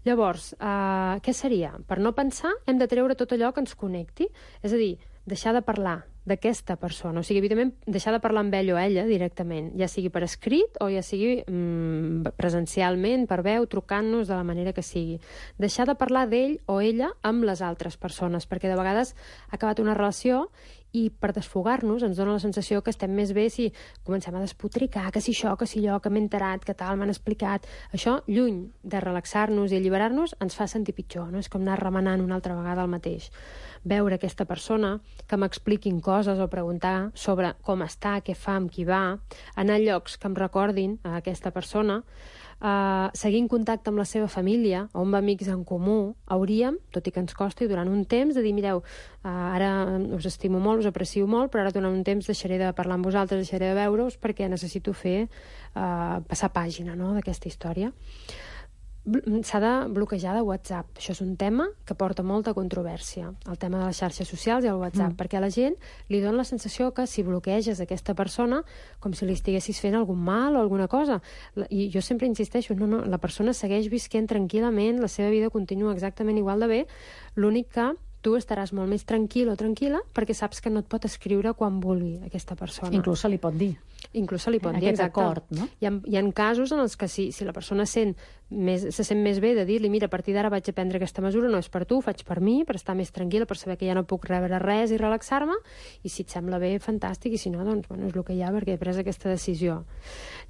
L: Llavors, què seria? Per no pensar hem de treure tot allò que ens connecti, és a dir, deixar de parlar, d'aquesta persona. O sigui, evidentment, deixar de parlar amb ell o ella directament, ja sigui per escrit o ja sigui presencialment, per veu, trucant-nos de la manera que sigui. Deixar de parlar d'ell o ella amb les altres persones, perquè de vegades ha acabat una relació i per desfogar-nos ens dona la sensació que estem més bé si comencem a despotricar, que si això, que si allò, que m'he enterat, que tal, m'han explicat. Això, lluny de relaxar-nos i alliberar-nos, ens fa sentir pitjor, no? És com anar remenant una altra vegada el mateix. Veure aquesta persona, que m'expliquin coses o preguntar sobre com està, què fa, amb qui va, anar a llocs que em recordin a aquesta persona, seguir en contacte amb la seva família o amb amics en comú, hauríem, tot i que ens costi, durant un temps de dir, mireu, ara us estimo molt, us aprecio molt, però ara durant un temps deixaré de parlar amb vosaltres, deixaré de veure-us perquè necessito fer passar pàgina, no?, d'aquesta història. S'ha de bloquejar de WhatsApp. Això és un tema que porta molta controvèrsia, el tema de les xarxes socials i el WhatsApp, perquè a la gent li dona la sensació que si bloqueges aquesta persona com si li estiguessis fent algun mal o alguna cosa. I jo sempre insisteixo, no, la persona segueix visquent tranquil·lament, la seva vida continua exactament igual de bé, l'únic que tu estaràs molt més tranquil o tranquil·la perquè saps que no et pot escriure quan vulgui aquesta persona.
F: Inclús se li pot dir.
L: Inclús se li pot dir,
F: aquest
L: exacte.
F: acord, no?
L: Hi ha casos en els que si la persona se sent més bé de dir-li, mira, a partir d'ara vaig a prendre aquesta mesura, no és per tu, ho faig per mi, per estar més tranquil·la, per saber que ja no puc rebre res i relaxar-me, i si et sembla bé, fantàstic, i si no, doncs, bueno, és el que hi ha perquè he pres aquesta decisió.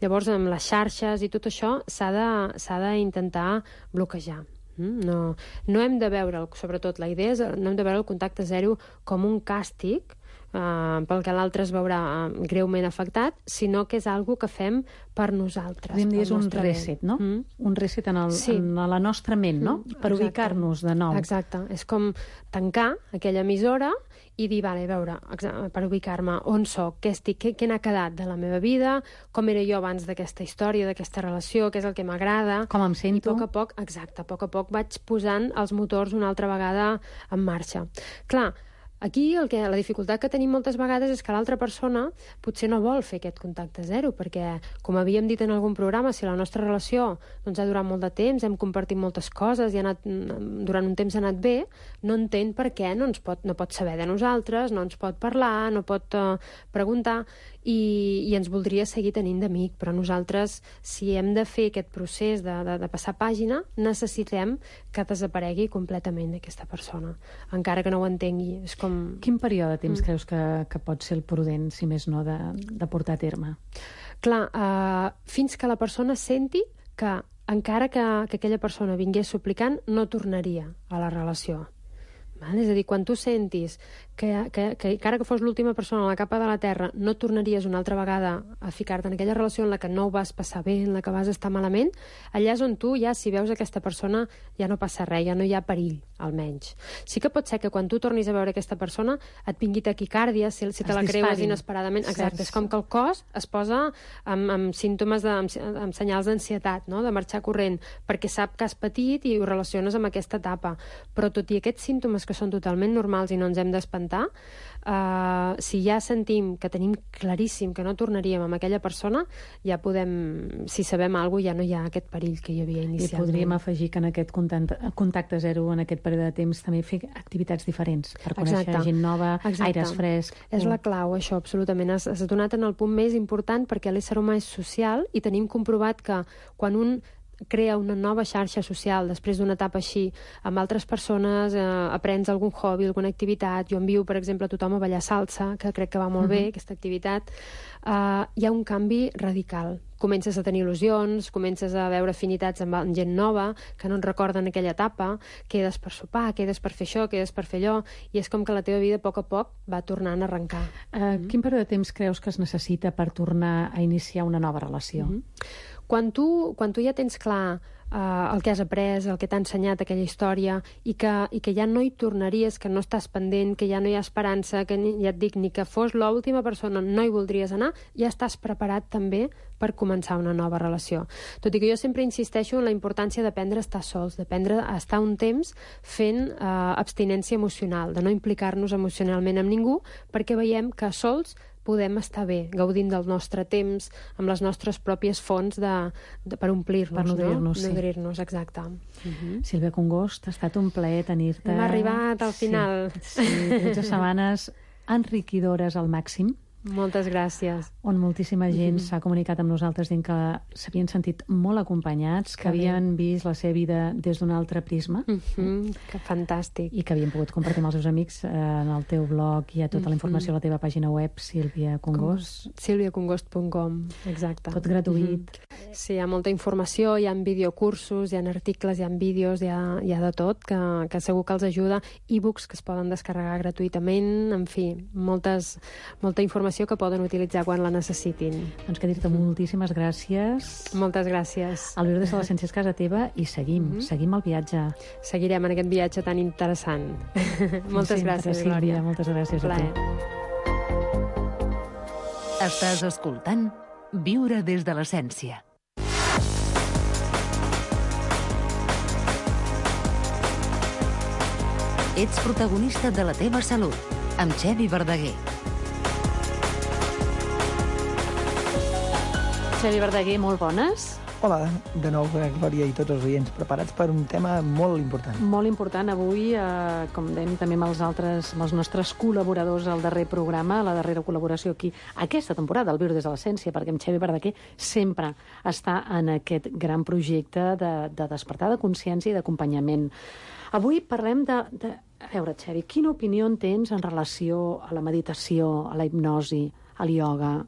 L: Llavors, amb les xarxes i tot això s'ha d'intentar bloquejar. No hem de veure, sobretot la idea és, no hem de veure el contacte zero com un càstig pel que l'altre es veurà greument afectat, sinó que és algo que fem per nosaltres.
F: Podríem dir és un reset, no? Un reset en la nostra ment, no? Per ubicar-nos de nou.
L: Exacte. És com tancar aquella emissora i dir, vale, a veure, per ubicar-me, on soc, què estic, què n'ha quedat de la meva vida, com era jo abans d'aquesta història, d'aquesta relació, què és el que m'agrada.
F: Com em sento.
L: I a poc a poc vaig posant els motors una altra vegada en marxa. Clar, aquí la dificultat que tenim moltes vegades és que l'altra persona potser no vol fer aquest contacte zero, perquè, com havíem dit en algun programa, si la nostra relació doncs, ha durat molt de temps, hem compartit moltes coses i durant un temps ha anat bé, no entén per què no pot saber de nosaltres, no ens pot parlar, no pot preguntar, i ens voldria seguir tenint d'amic, però nosaltres, si hem de fer aquest procés de passar pàgina, necessitem que desaparegui completament aquesta persona, encara que no ho entengui. És com...
F: Quin període de temps creus que pot ser el prudent, si més no, de portar a terme?
L: Clar, fins que la persona senti que, encara que aquella persona vingués suplicant, no tornaria a la relació. És a dir, quan tu sentis que encara que fos l'última persona a la capa de la terra, no tornaries una altra vegada a ficar-te en aquella relació en la que no ho vas passar bé, en la que vas estar malament, allà és on tu ja, si veus aquesta persona, ja no passa res, ja no hi ha perill, almenys. Sí que pot ser que quan tu tornis a veure aquesta persona et vingui taquicàrdia, si te la creues inesperadament. Exacte, és com que el cos es posa amb símptomes, amb senyals d'ansietat, no? De marxar corrent, perquè sap que has patit i ho relaciones amb aquesta etapa. Però tot i aquests símptomes que són totalment normals i no ens hem d'espantar, si ja sentim que tenim claríssim que no tornaríem amb aquella persona, ja podem, si sabem alguna cosa, ja no hi ha aquest perill que hi havia inicialment.
F: I podríem afegir que en aquest contacte zero, en aquest període de temps, també fer activitats diferents per conèixer gent nova, aires frescs.
L: És la clau, això, absolutament. Has donat en el punt més important, perquè l'ésser humà és social i tenim comprovat que quan un crea una nova xarxa social després d'una etapa així, amb altres persones, aprens algun hobby, alguna activitat. Jo envio, per exemple, a tothom a ballar salsa, que crec que va molt bé, aquesta activitat. Hi ha un canvi radical. Comences a tenir il·lusions, comences a veure afinitats amb gent nova, que no et recorden aquella etapa, quedes per sopar, quedes per fer això, quedes per fer allò, i és com que la teva vida a poc va tornant a arrencar.
F: Quin període de temps creus que es necessita per tornar a iniciar una nova relació?
L: Quan tu ja tens clar el que has après, el que t'ha ensenyat aquella història, i que ja no hi tornaries, que no estàs pendent, que ja no hi ha esperança, que ja et dic, ni que fos l'última persona no hi voldries anar, ja estàs preparat també per començar una nova relació. Tot i que jo sempre insisteixo en la importància d'aprendre a estar sols, d'aprendre a estar un temps fent abstinència emocional, de no implicar-nos emocionalment amb ningú, perquè veiem que sols podem estar bé, gaudint del nostre temps, amb les nostres pròpies fonts per omplir-nos,
F: per nodrir-nos,
L: no? Nodrir-nos, exacte.
F: Sílvia Congost, ha estat un plaer tenir-te.
L: Hem arribat al final.
F: Sí, 13 setmanes enriquidores al màxim.
L: Moltes gràcies.
F: On moltíssima gent s'ha comunicat amb nosaltres dient que s'havien sentit molt acompanyats, que havien vist la seva vida des d'un altre prisma.
L: Que fantàstic.
F: I que havien pogut compartir amb els seus amics en el teu blog. Hi ha tota la informació a la teva pàgina web, Sílvia Congost.
L: SílviaCongost.com, exacte.
F: Tot gratuït.
L: Sí, hi ha molta informació, hi ha videocursos, hi ha articles, hi ha vídeos, hi ha de tot, que segur que els ajuda. E-books que es poden descarregar gratuïtament, en fi, molta informació que poden utilitzar quan la necessitin.
F: Doncs que dir-te moltíssimes gràcies.
L: Moltes gràcies.
F: El Viure des de l'Essència és casa teva i seguim el viatge.
L: Seguirem en aquest viatge tan interessant. Moltes gràcies, Glòria.
F: Moltes gràcies a tu.
C: Estàs escoltant Viure des de l'Essència. Ets protagonista de la teva salut, amb Xevi Verdaguer.
F: Xevi Verdaguer, molt bones.
M: Hola, de nou, Glòria i tots els oients, preparats per un tema molt important.
F: Molt important. Avui, com dèiem també amb els nostres col·laboradors al darrer programa, la darrera col·laboració aquí, aquesta temporada, al Viure des de l'Essència, perquè en Xevi Verdaguer sempre està en aquest gran projecte de despertar de consciència i d'acompanyament. Avui parlem A veure, Xevi, quina opinió en tens en relació a la meditació, a la hipnosi, al ioga?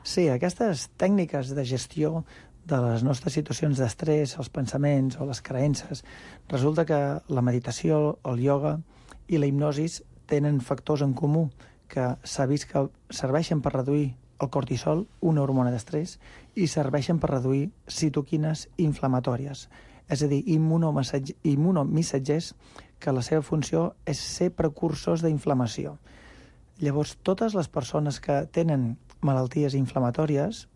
M: Sí, aquestes tècniques de gestió de les nostres situacions d'estrès, els pensaments o les creences, resulta que la meditació, el ioga i la hipnosi tenen factors en comú que s'ha vist que serveixen per reduir el cortisol, una hormona d'estrès, i serveixen per reduir citoquines inflamatòries, és a dir, immunomissatgers que la seva funció és ser precursors d'inflamació. Llavors, totes les persones que tenen malalties inflamatòries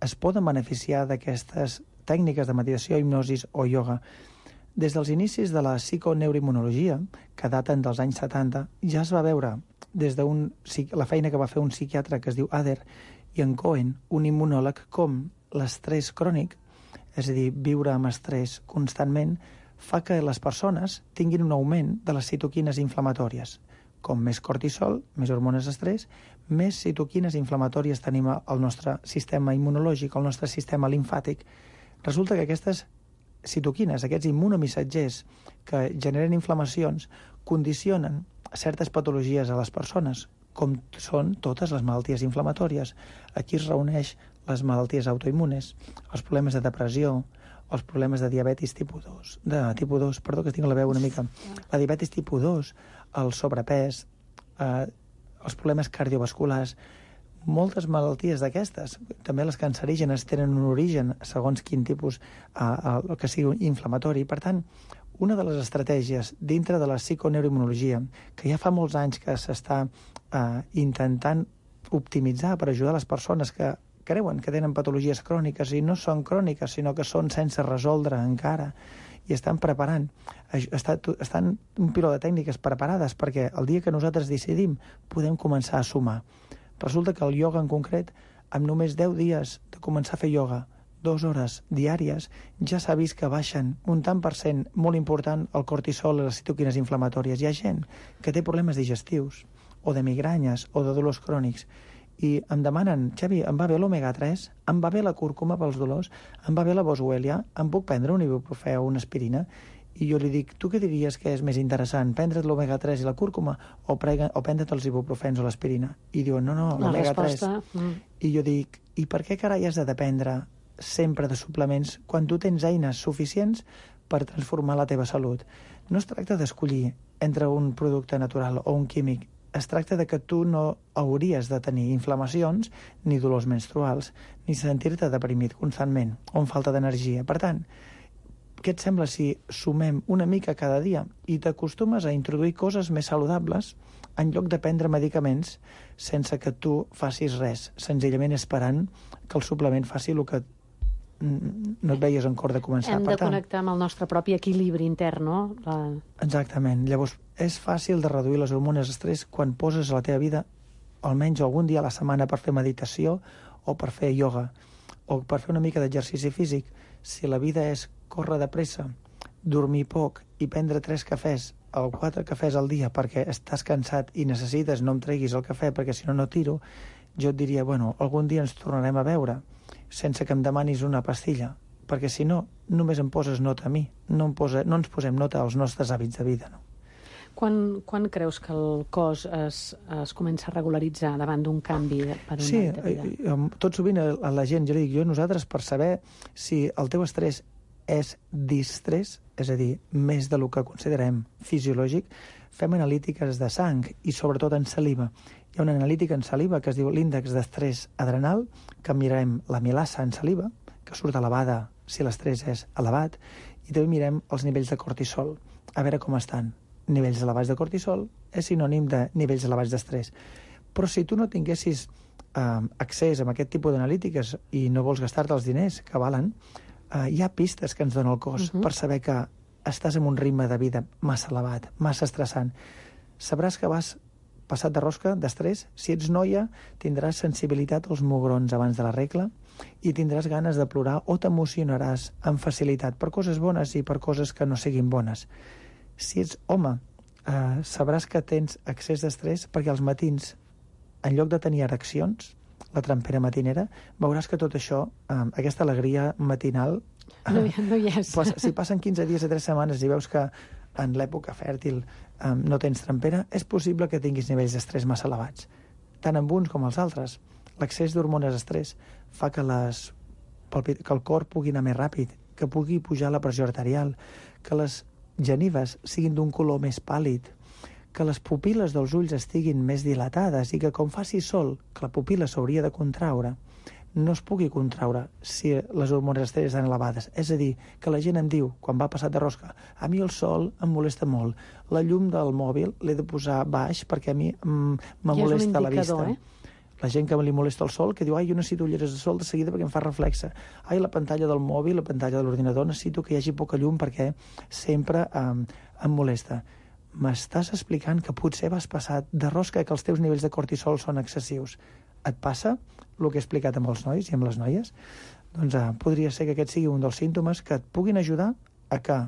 M: es poden beneficiar d'aquestes tècniques de meditació, hipnosis o ioga. Des dels inicis de la psiconeuroimmunologia, que daten dels anys 70, ja es va veure des de la feina que va fer un psiquiatre que es diu Adler i en Cohen, un immunòleg, com l'estrès crònic, és a dir, viure amb estrès constantment, fa que les persones tinguin un augment de les citoquines inflamatòries. Com més cortisol, més hormones d'estrès, més citoquines inflamatòries tenim al nostre sistema immunològic, al nostre sistema limfàtic. Resulta que aquestes citoquines, aquests immunomissatgers que generen inflamacions, condicionen certes patologies a les persones, com són totes les malalties inflamatòries. Aquí es reuneix les malalties autoimmunes, els problemes de depressió, els problemes de diabetis tipus 2, perdó, que tinc la veu una mica, la diabetis tipus 2, el sobrepès, els problemes cardiovasculars, moltes malalties d'aquestes, també les cancerígenes tenen un origen segons quin tipus que sigui inflamatori. Per tant, una de les estratègies dintre de la psiconeuroimmunologia, que ja fa molts anys que s'està intentant optimitzar per ajudar les persones que creuen que tenen patologies cròniques i no són cròniques, sinó que són sense resoldre encara, i estan preparant, estan un piló de tècniques preparades perquè el dia que nosaltres decidim podem començar a sumar. Resulta que el ioga en concret, amb només 10 dies de començar a fer ioga, 2 hores diàries, ja s'ha vist que baixen un tant per cent molt important el cortisol i les citoquines inflamatòries. Hi ha gent que té problemes digestius, o de migranyes, o de dolors crònics, i em demanen, Xavi, em va bé l'omega-3, em va bé la cúrcuma pels dolors, em va bé la boswellia, em puc prendre un ibuprofè o una aspirina? I jo li dic, tu què diries que és més interessant, prendre't l'omega-3 i la cúrcuma o prendre't els ibuprofens o l'aspirina? I diuen, no, l'omega-3. I jo dic, i per què carai has de dependre sempre de suplements quan tu tens eines suficients per transformar la teva salut? No es tracta d'escollir entre un producte natural o un químic, es tracta de que tu no hauries de tenir inflamacions, ni dolors menstruals, ni sentir-te deprimit constantment o amb falta d'energia. Per tant, què et sembla si sumem una mica cada dia i t'acostumes a introduir coses més saludables en lloc de prendre medicaments sense que tu facis res, senzillament esperant que el suplement faci el que no et veies en cor de començar.
F: Hem de connectar amb el nostre propi equilibri intern, no?
M: Exactament. Llavors, és fàcil de reduir les hormones d'estrès quan poses a la teva vida almenys algun dia a la setmana per fer meditació o per fer ioga o per fer una mica d'exercici físic. Si la vida és córrer de pressa, dormir poc i prendre 3 cafès 4 cafès al dia perquè estàs cansat i necessites no em treguis el cafè perquè si no no tiro, jo et diria, bueno, algun dia ens tornarem a veure sense que em demanis una pastilla, perquè si no, només em poses nota a mi, no ens posem nota als nostres hàbits de vida, no?
F: Quan creus que el cos es comença a regularitzar davant d'un canvi per un hàbit de vida?
M: Sí, tot sovint a la gent, jo li dic, nosaltres per saber si el teu estrès és distrès, és a dir, més del que considerem fisiològic, fem analítiques de sang i sobretot en saliva. Hi ha una analítica en saliva que es diu l'índex d'estrès adrenal, que mirarem la milasa en saliva, que surt elevada si l'estrès és elevat, i també mirem els nivells de cortisol, a veure com estan. Nivells elevats de cortisol és sinònim de nivells elevats d'estrès. Però si tu no tinguessis accés a aquest tipus d'analítiques i no vols gastar-te els diners que valen, hi ha pistes que ens dona el cos per saber que estàs en un ritme de vida massa elevat, massa estressant. Sabràs que vas passat de rosca, d'estrès. Si ets noia, tindràs sensibilitat als mugrons abans de la regla i tindràs ganes de plorar o t'emocionaràs amb facilitat per coses bones i per coses que no siguin bones. Si ets home, sabràs que tens excés d'estrès perquè als matins, en lloc de tenir ereccions, la trempera matinera, veuràs que tot això, aquesta alegria matinal...
F: No hi és.
M: Si passen 15 dies o 3 setmanes i veus que en l'època fèrtil no tens trempera, és possible que tinguis nivells d'estrès massa elevats, tant amb uns com els altres. L'excés d'hormones d'estrès fa que el cor pugui anar més ràpid, que pugui pujar la pressió arterial, que les genives siguin d'un color més pàl·lid, que les pupil·les dels ulls estiguin més dilatades i que com faci sol, que la pupil·la s'hauria de contraure, no es pugui contraure si les hormones d'estrès estan elevades. És a dir, que la gent em diu, quan va passat de rosca, a mi el sol em molesta molt, la llum del mòbil l'he de posar baix perquè a mi me molesta la vista. La gent que li molesta el sol, que diu, jo necessito ulleres de sol de seguida perquè em fa reflexe. La pantalla del mòbil, la pantalla de l'ordinador, necessito que hi hagi poca llum perquè sempre em molesta. M'estàs explicant que potser vas passar de rosca, que els teus nivells de cortisol són excessius. Et passa el que he explicat amb els nois i amb les noies? Doncs podria ser que aquest sigui un dels símptomes que et puguin ajudar a que,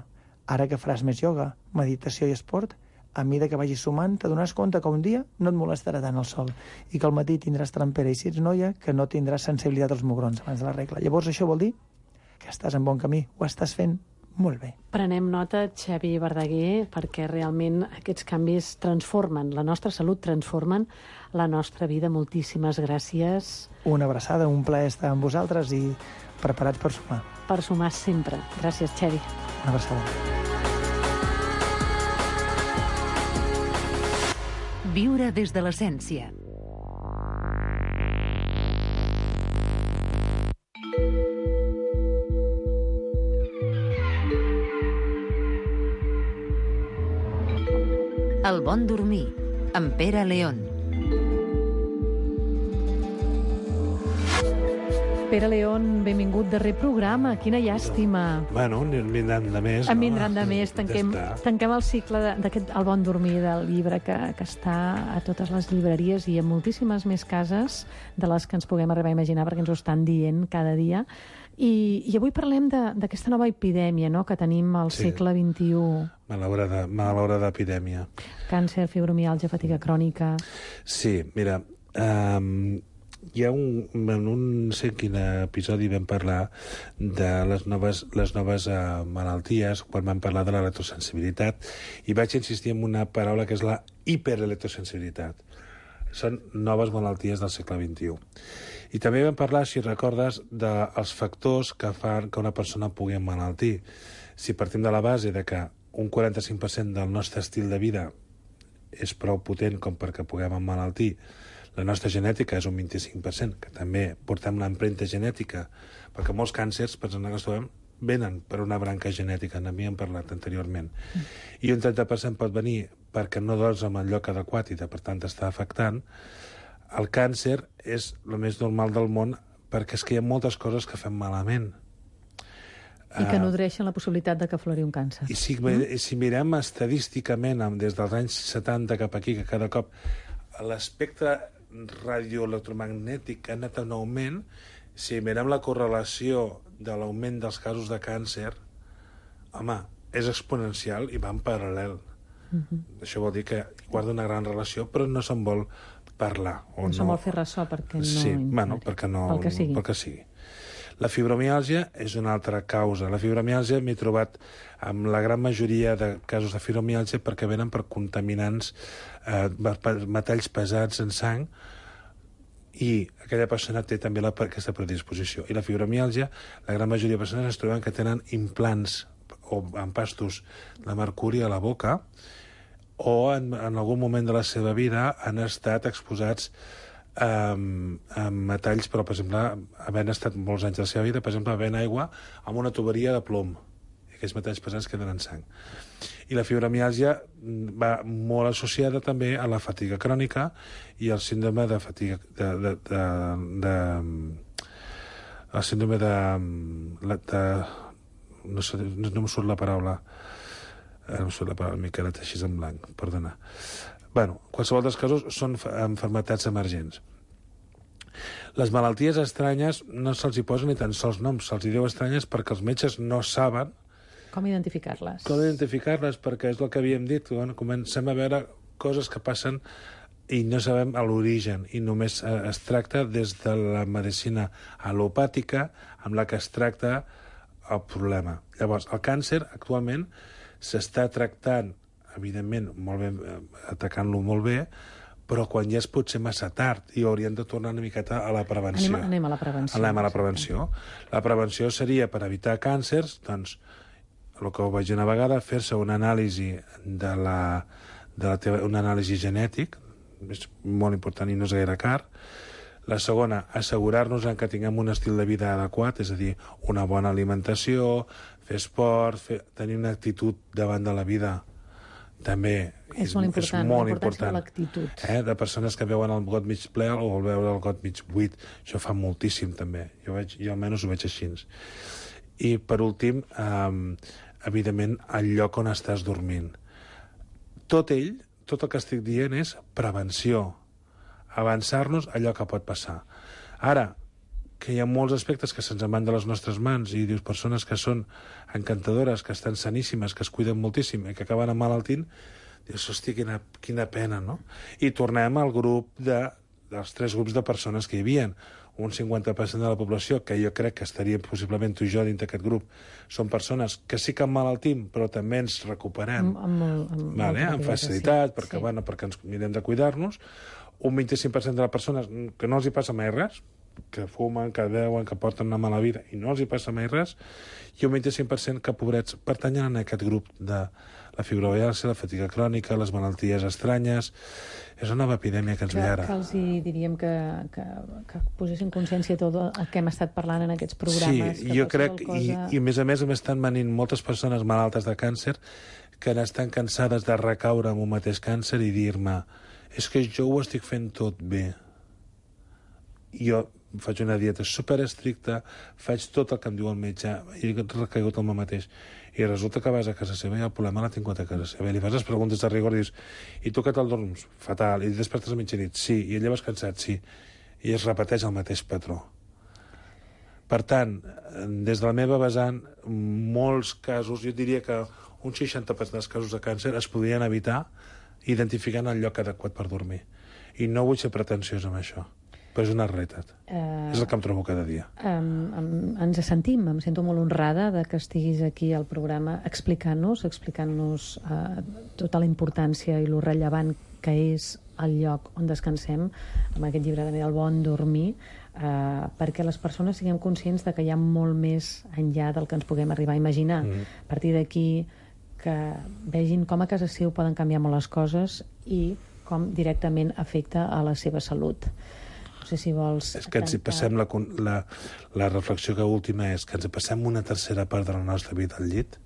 M: ara que faràs més ioga, meditació i esport, a mesura que vagis sumant, t'adonaràs compte que un dia no et molestarà tant el sol i que al matí tindràs trempera i si ets noia, que no tindràs sensibilitat als mugrons abans de la regla. Llavors això vol dir que estàs en bon camí, ho estàs fent molt bé.
F: Prenem nota, Xavi Verdaguer, perquè realment aquests canvis transformen la nostra salut, transformen la nostra vida. Moltíssimes gràcies.
M: Una abraçada, un plaer estar amb vosaltres i preparats per sumar.
F: Per sumar sempre. Gràcies, Xavi.
M: Una abraçada.
C: Viure des de l'essència. El bon dormir, amb Pere León.
F: Pere León, benvingut, darrer programa. Quina llàstima.
N: Bueno, en vindran de més.
F: En vindran de més. Tanquem el cicle d'aquest El bon dormir del llibre que està a totes les llibreries i a moltíssimes més cases de les que ens puguem arribar a imaginar perquè ens ho estan dient cada dia. I avui parlem d'aquesta nova epidèmia, no?, que tenim al segle XXI.
N: Malaurada epidèmia.
F: Càncer, fibromiàlgia, fatiga crònica...
N: Sí, mira, hi ha en un quin episodi vam parlar de les noves malalties, quan vam parlar de l'electrosensibilitat, i vaig insistir en una paraula que és la hiperelectrosensibilitat. Són noves malalties del segle XXI. I també vam parlar, si recordes, dels factors que fan que una persona pugui emmalaltir. Si partim de la base de que un 45% del nostre estil de vida és prou potent com perquè puguem emmalaltir, la nostra genètica és un 25%, que també portem l'empremta genètica, perquè molts càncers, per exemple, que ens trobem, venen per una branca genètica, n'havíem parlat anteriorment. I un 30% pot venir perquè no dors en el lloc adequat i, per tant, està afectant. El càncer és el més normal del món perquè és que hi ha moltes coses que fem malament.
F: I que nodreixen la possibilitat de que aflori un càncer.
N: I si mirem estadísticament, des dels anys 70 cap aquí, que cada cop l'espectre radioelectromagnètic ha anat en augment, si mirem la correlació de l'augment dels casos de càncer, home, és exponencial i va en paral·lel. Això vol dir que guarda una gran relació, però no se'n vol parlar.
F: No se'n vol fer ressò perquè no...
N: Sí, bueno, perquè no...
F: Pel que sigui.
N: Pel que sigui. La fibromiàlgia és una altra causa. La fibromiàlgia m'he trobat amb la gran majoria de casos de fibromiàlgia perquè venen per contaminants, metalls pesats en sang, i aquella persona té també aquesta predisposició. I la fibromiàlgia, la gran majoria de persones es troben que tenen implants o empastos de mercuri a la boca, o en algun moment de la seva vida han estat exposats a metalls, però, per exemple, havent estat molts anys de la seva vida, per exemple, bevent aigua amb una tuberia de plom. I aquells metalls pesants queden en sang. I la fibromiàlgia va molt associada també a la fatiga crònica i al síndrome de fatiga... el síndrome de... no em surt la paraula. No em surt la paraula, m'he quedat així en blanc, perdona. Bueno, qualsevol dels casos són malalties emergents. Les malalties estranyes no se'ls hi posen ni tan sols noms, se'ls hi diu estranyes perquè els metges no saben
F: com identificar-les.
N: Com identificar-les, perquè és el que havíem dit, bueno, comencem a veure coses que passen i no sabem l'origen, i només es tracta des de la medicina al·lopàtica amb la que es tracta el problema. Llavors, el càncer actualment s'està tractant, evidentment, molt bé, atacant-lo molt bé, però quan ja és potser massa tard i hauríem de tornar una miqueta a la prevenció.
F: Anem a la prevenció.
N: Anem a la prevenció. La prevenció seria, per evitar càncers, doncs, el que ho vaig dir una vegada, fer-se una anàlisi un anàlisi genètic, és molt important i no és gaire car. La segona, assegurar-nos que tinguem un estil de vida adequat, és a dir, una bona alimentació, fer esport, tenir una actitud davant de la vida també
F: és molt important, la importància de l'actitud.
N: De persones que veuen el got mig ple o el veure el got mig buit. Això fa moltíssim, també. Jo almenys ho veig així. I, per últim, evidentment, el lloc on estàs dormint. Tot el que estic dient és prevenció. Avançar-nos allò que pot passar. Ara, que hi ha molts aspectes que se'ns en van de les nostres mans i dius persones que són encantadores, que estan saníssimes, que es cuiden moltíssim i que acaben emmalaltint, dius, hosti, quina pena, no? I tornem al grup dels 3 grups de persones que hi havia. Un 50% de la població, que jo crec que estaria possiblement tu i jo dins d'aquest grup, són persones que sí que emmalaltim, però també ens recuperem amb facilitat, perquè ens mirem de cuidar-nos. Un 25% de les persones que no els hi passa mai res, que fumen, que beuen, que porten una mala vida i no els hi passa mai res, i un 25% que, pobrets, pertanyen a aquest grup de la fibromiàlgia, la fatiga crònica, les malalties estranyes. És una nova epidèmia que ens ve ara.
F: Que els diríem que posessin consciència de tot el que hem estat parlant en aquests programes.
N: Sí, jo crec, i a més m'estan venint moltes persones malaltes de càncer que estan cansades de recaure en un mateix càncer i dir-me, és que jo ho estic fent tot bé. Jo faig una dieta superestricta, faig tot el que em diu el metge, i he recaigut el mateix. I resulta que vas a casa seva i el problema l'ha tingut a casa seva. I li fas les preguntes de rigor i dius, i tu què tal dorms? Fatal. I despertes a mitjanit? Sí. I et lleves cansat? Sí. I es repeteix el mateix patró. Per tant, des de la meva vessant, molts casos, jo diria que un 60% dels casos de càncer es podrien evitar identificant el lloc adequat per dormir. I no vull ser pretensiós amb això, però és una realitat. És el que em trobo cada dia.
F: Ens sentim, em sento molt honrada de que estiguis aquí al programa explicant-nos tota la importància i lo rellevant que és el lloc on descansem, amb aquest llibre també del bon dormir, perquè les persones siguem conscients de que hi ha molt més enllà del que ens puguem arribar a imaginar. A partir d'aquí, que vegin com a casa seu poden canviar molt les coses i com directament afecta a la seva salut. No sé si vols...
N: És que ens hi passem la reflexió que última és que ens hi passem una tercera part de la nostra vida al llit,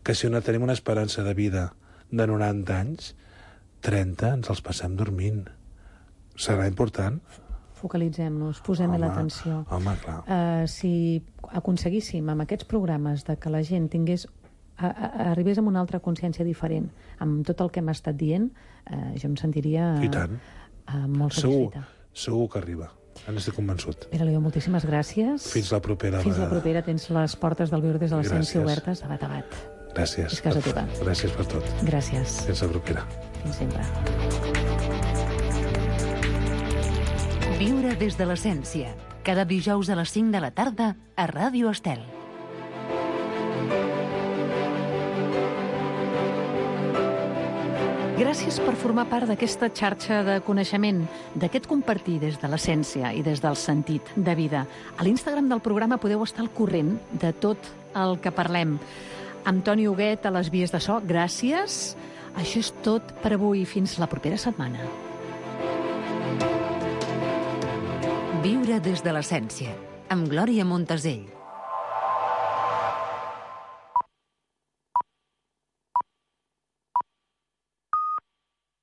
N: que si tenim una esperança de vida de 90 anys, 30 ens els passem dormint. Serà important?
F: Focalitzem-nos, posem-hi l'atenció.
N: Home, clar.
F: Si aconseguíssim amb aquests programes de que la gent arribés amb una altra consciència diferent, amb tot el que hem estat dient, jo em sentiria molt satisfeta.
N: Segur que arriba. N'estic convençut.
F: Pere Leó, moltíssimes gràcies.
N: Fins la propera.
F: Fins la propera. Tens les portes del Viure des de la Ciència obertes de bat a bat.
N: Gràcies.
F: És casa teva.
N: Gràcies per tot.
F: Gràcies.
N: Fins la propera.
F: Fins sempre.
C: Viure des de l'essència. Cada dijous a les 5 de la tarda a Ràdio Estel.
F: Gràcies per formar part d'aquesta xarxa de coneixement, d'aquest compartir des de l'essència i des del sentit de vida. A l'Instagram del programa podeu estar al corrent de tot el que parlem. Amb Toni Huguet a les vies de so, gràcies. Això és tot per avui. Fins la propera setmana.
C: Viure des de l'essència, amb Glòria Montesell.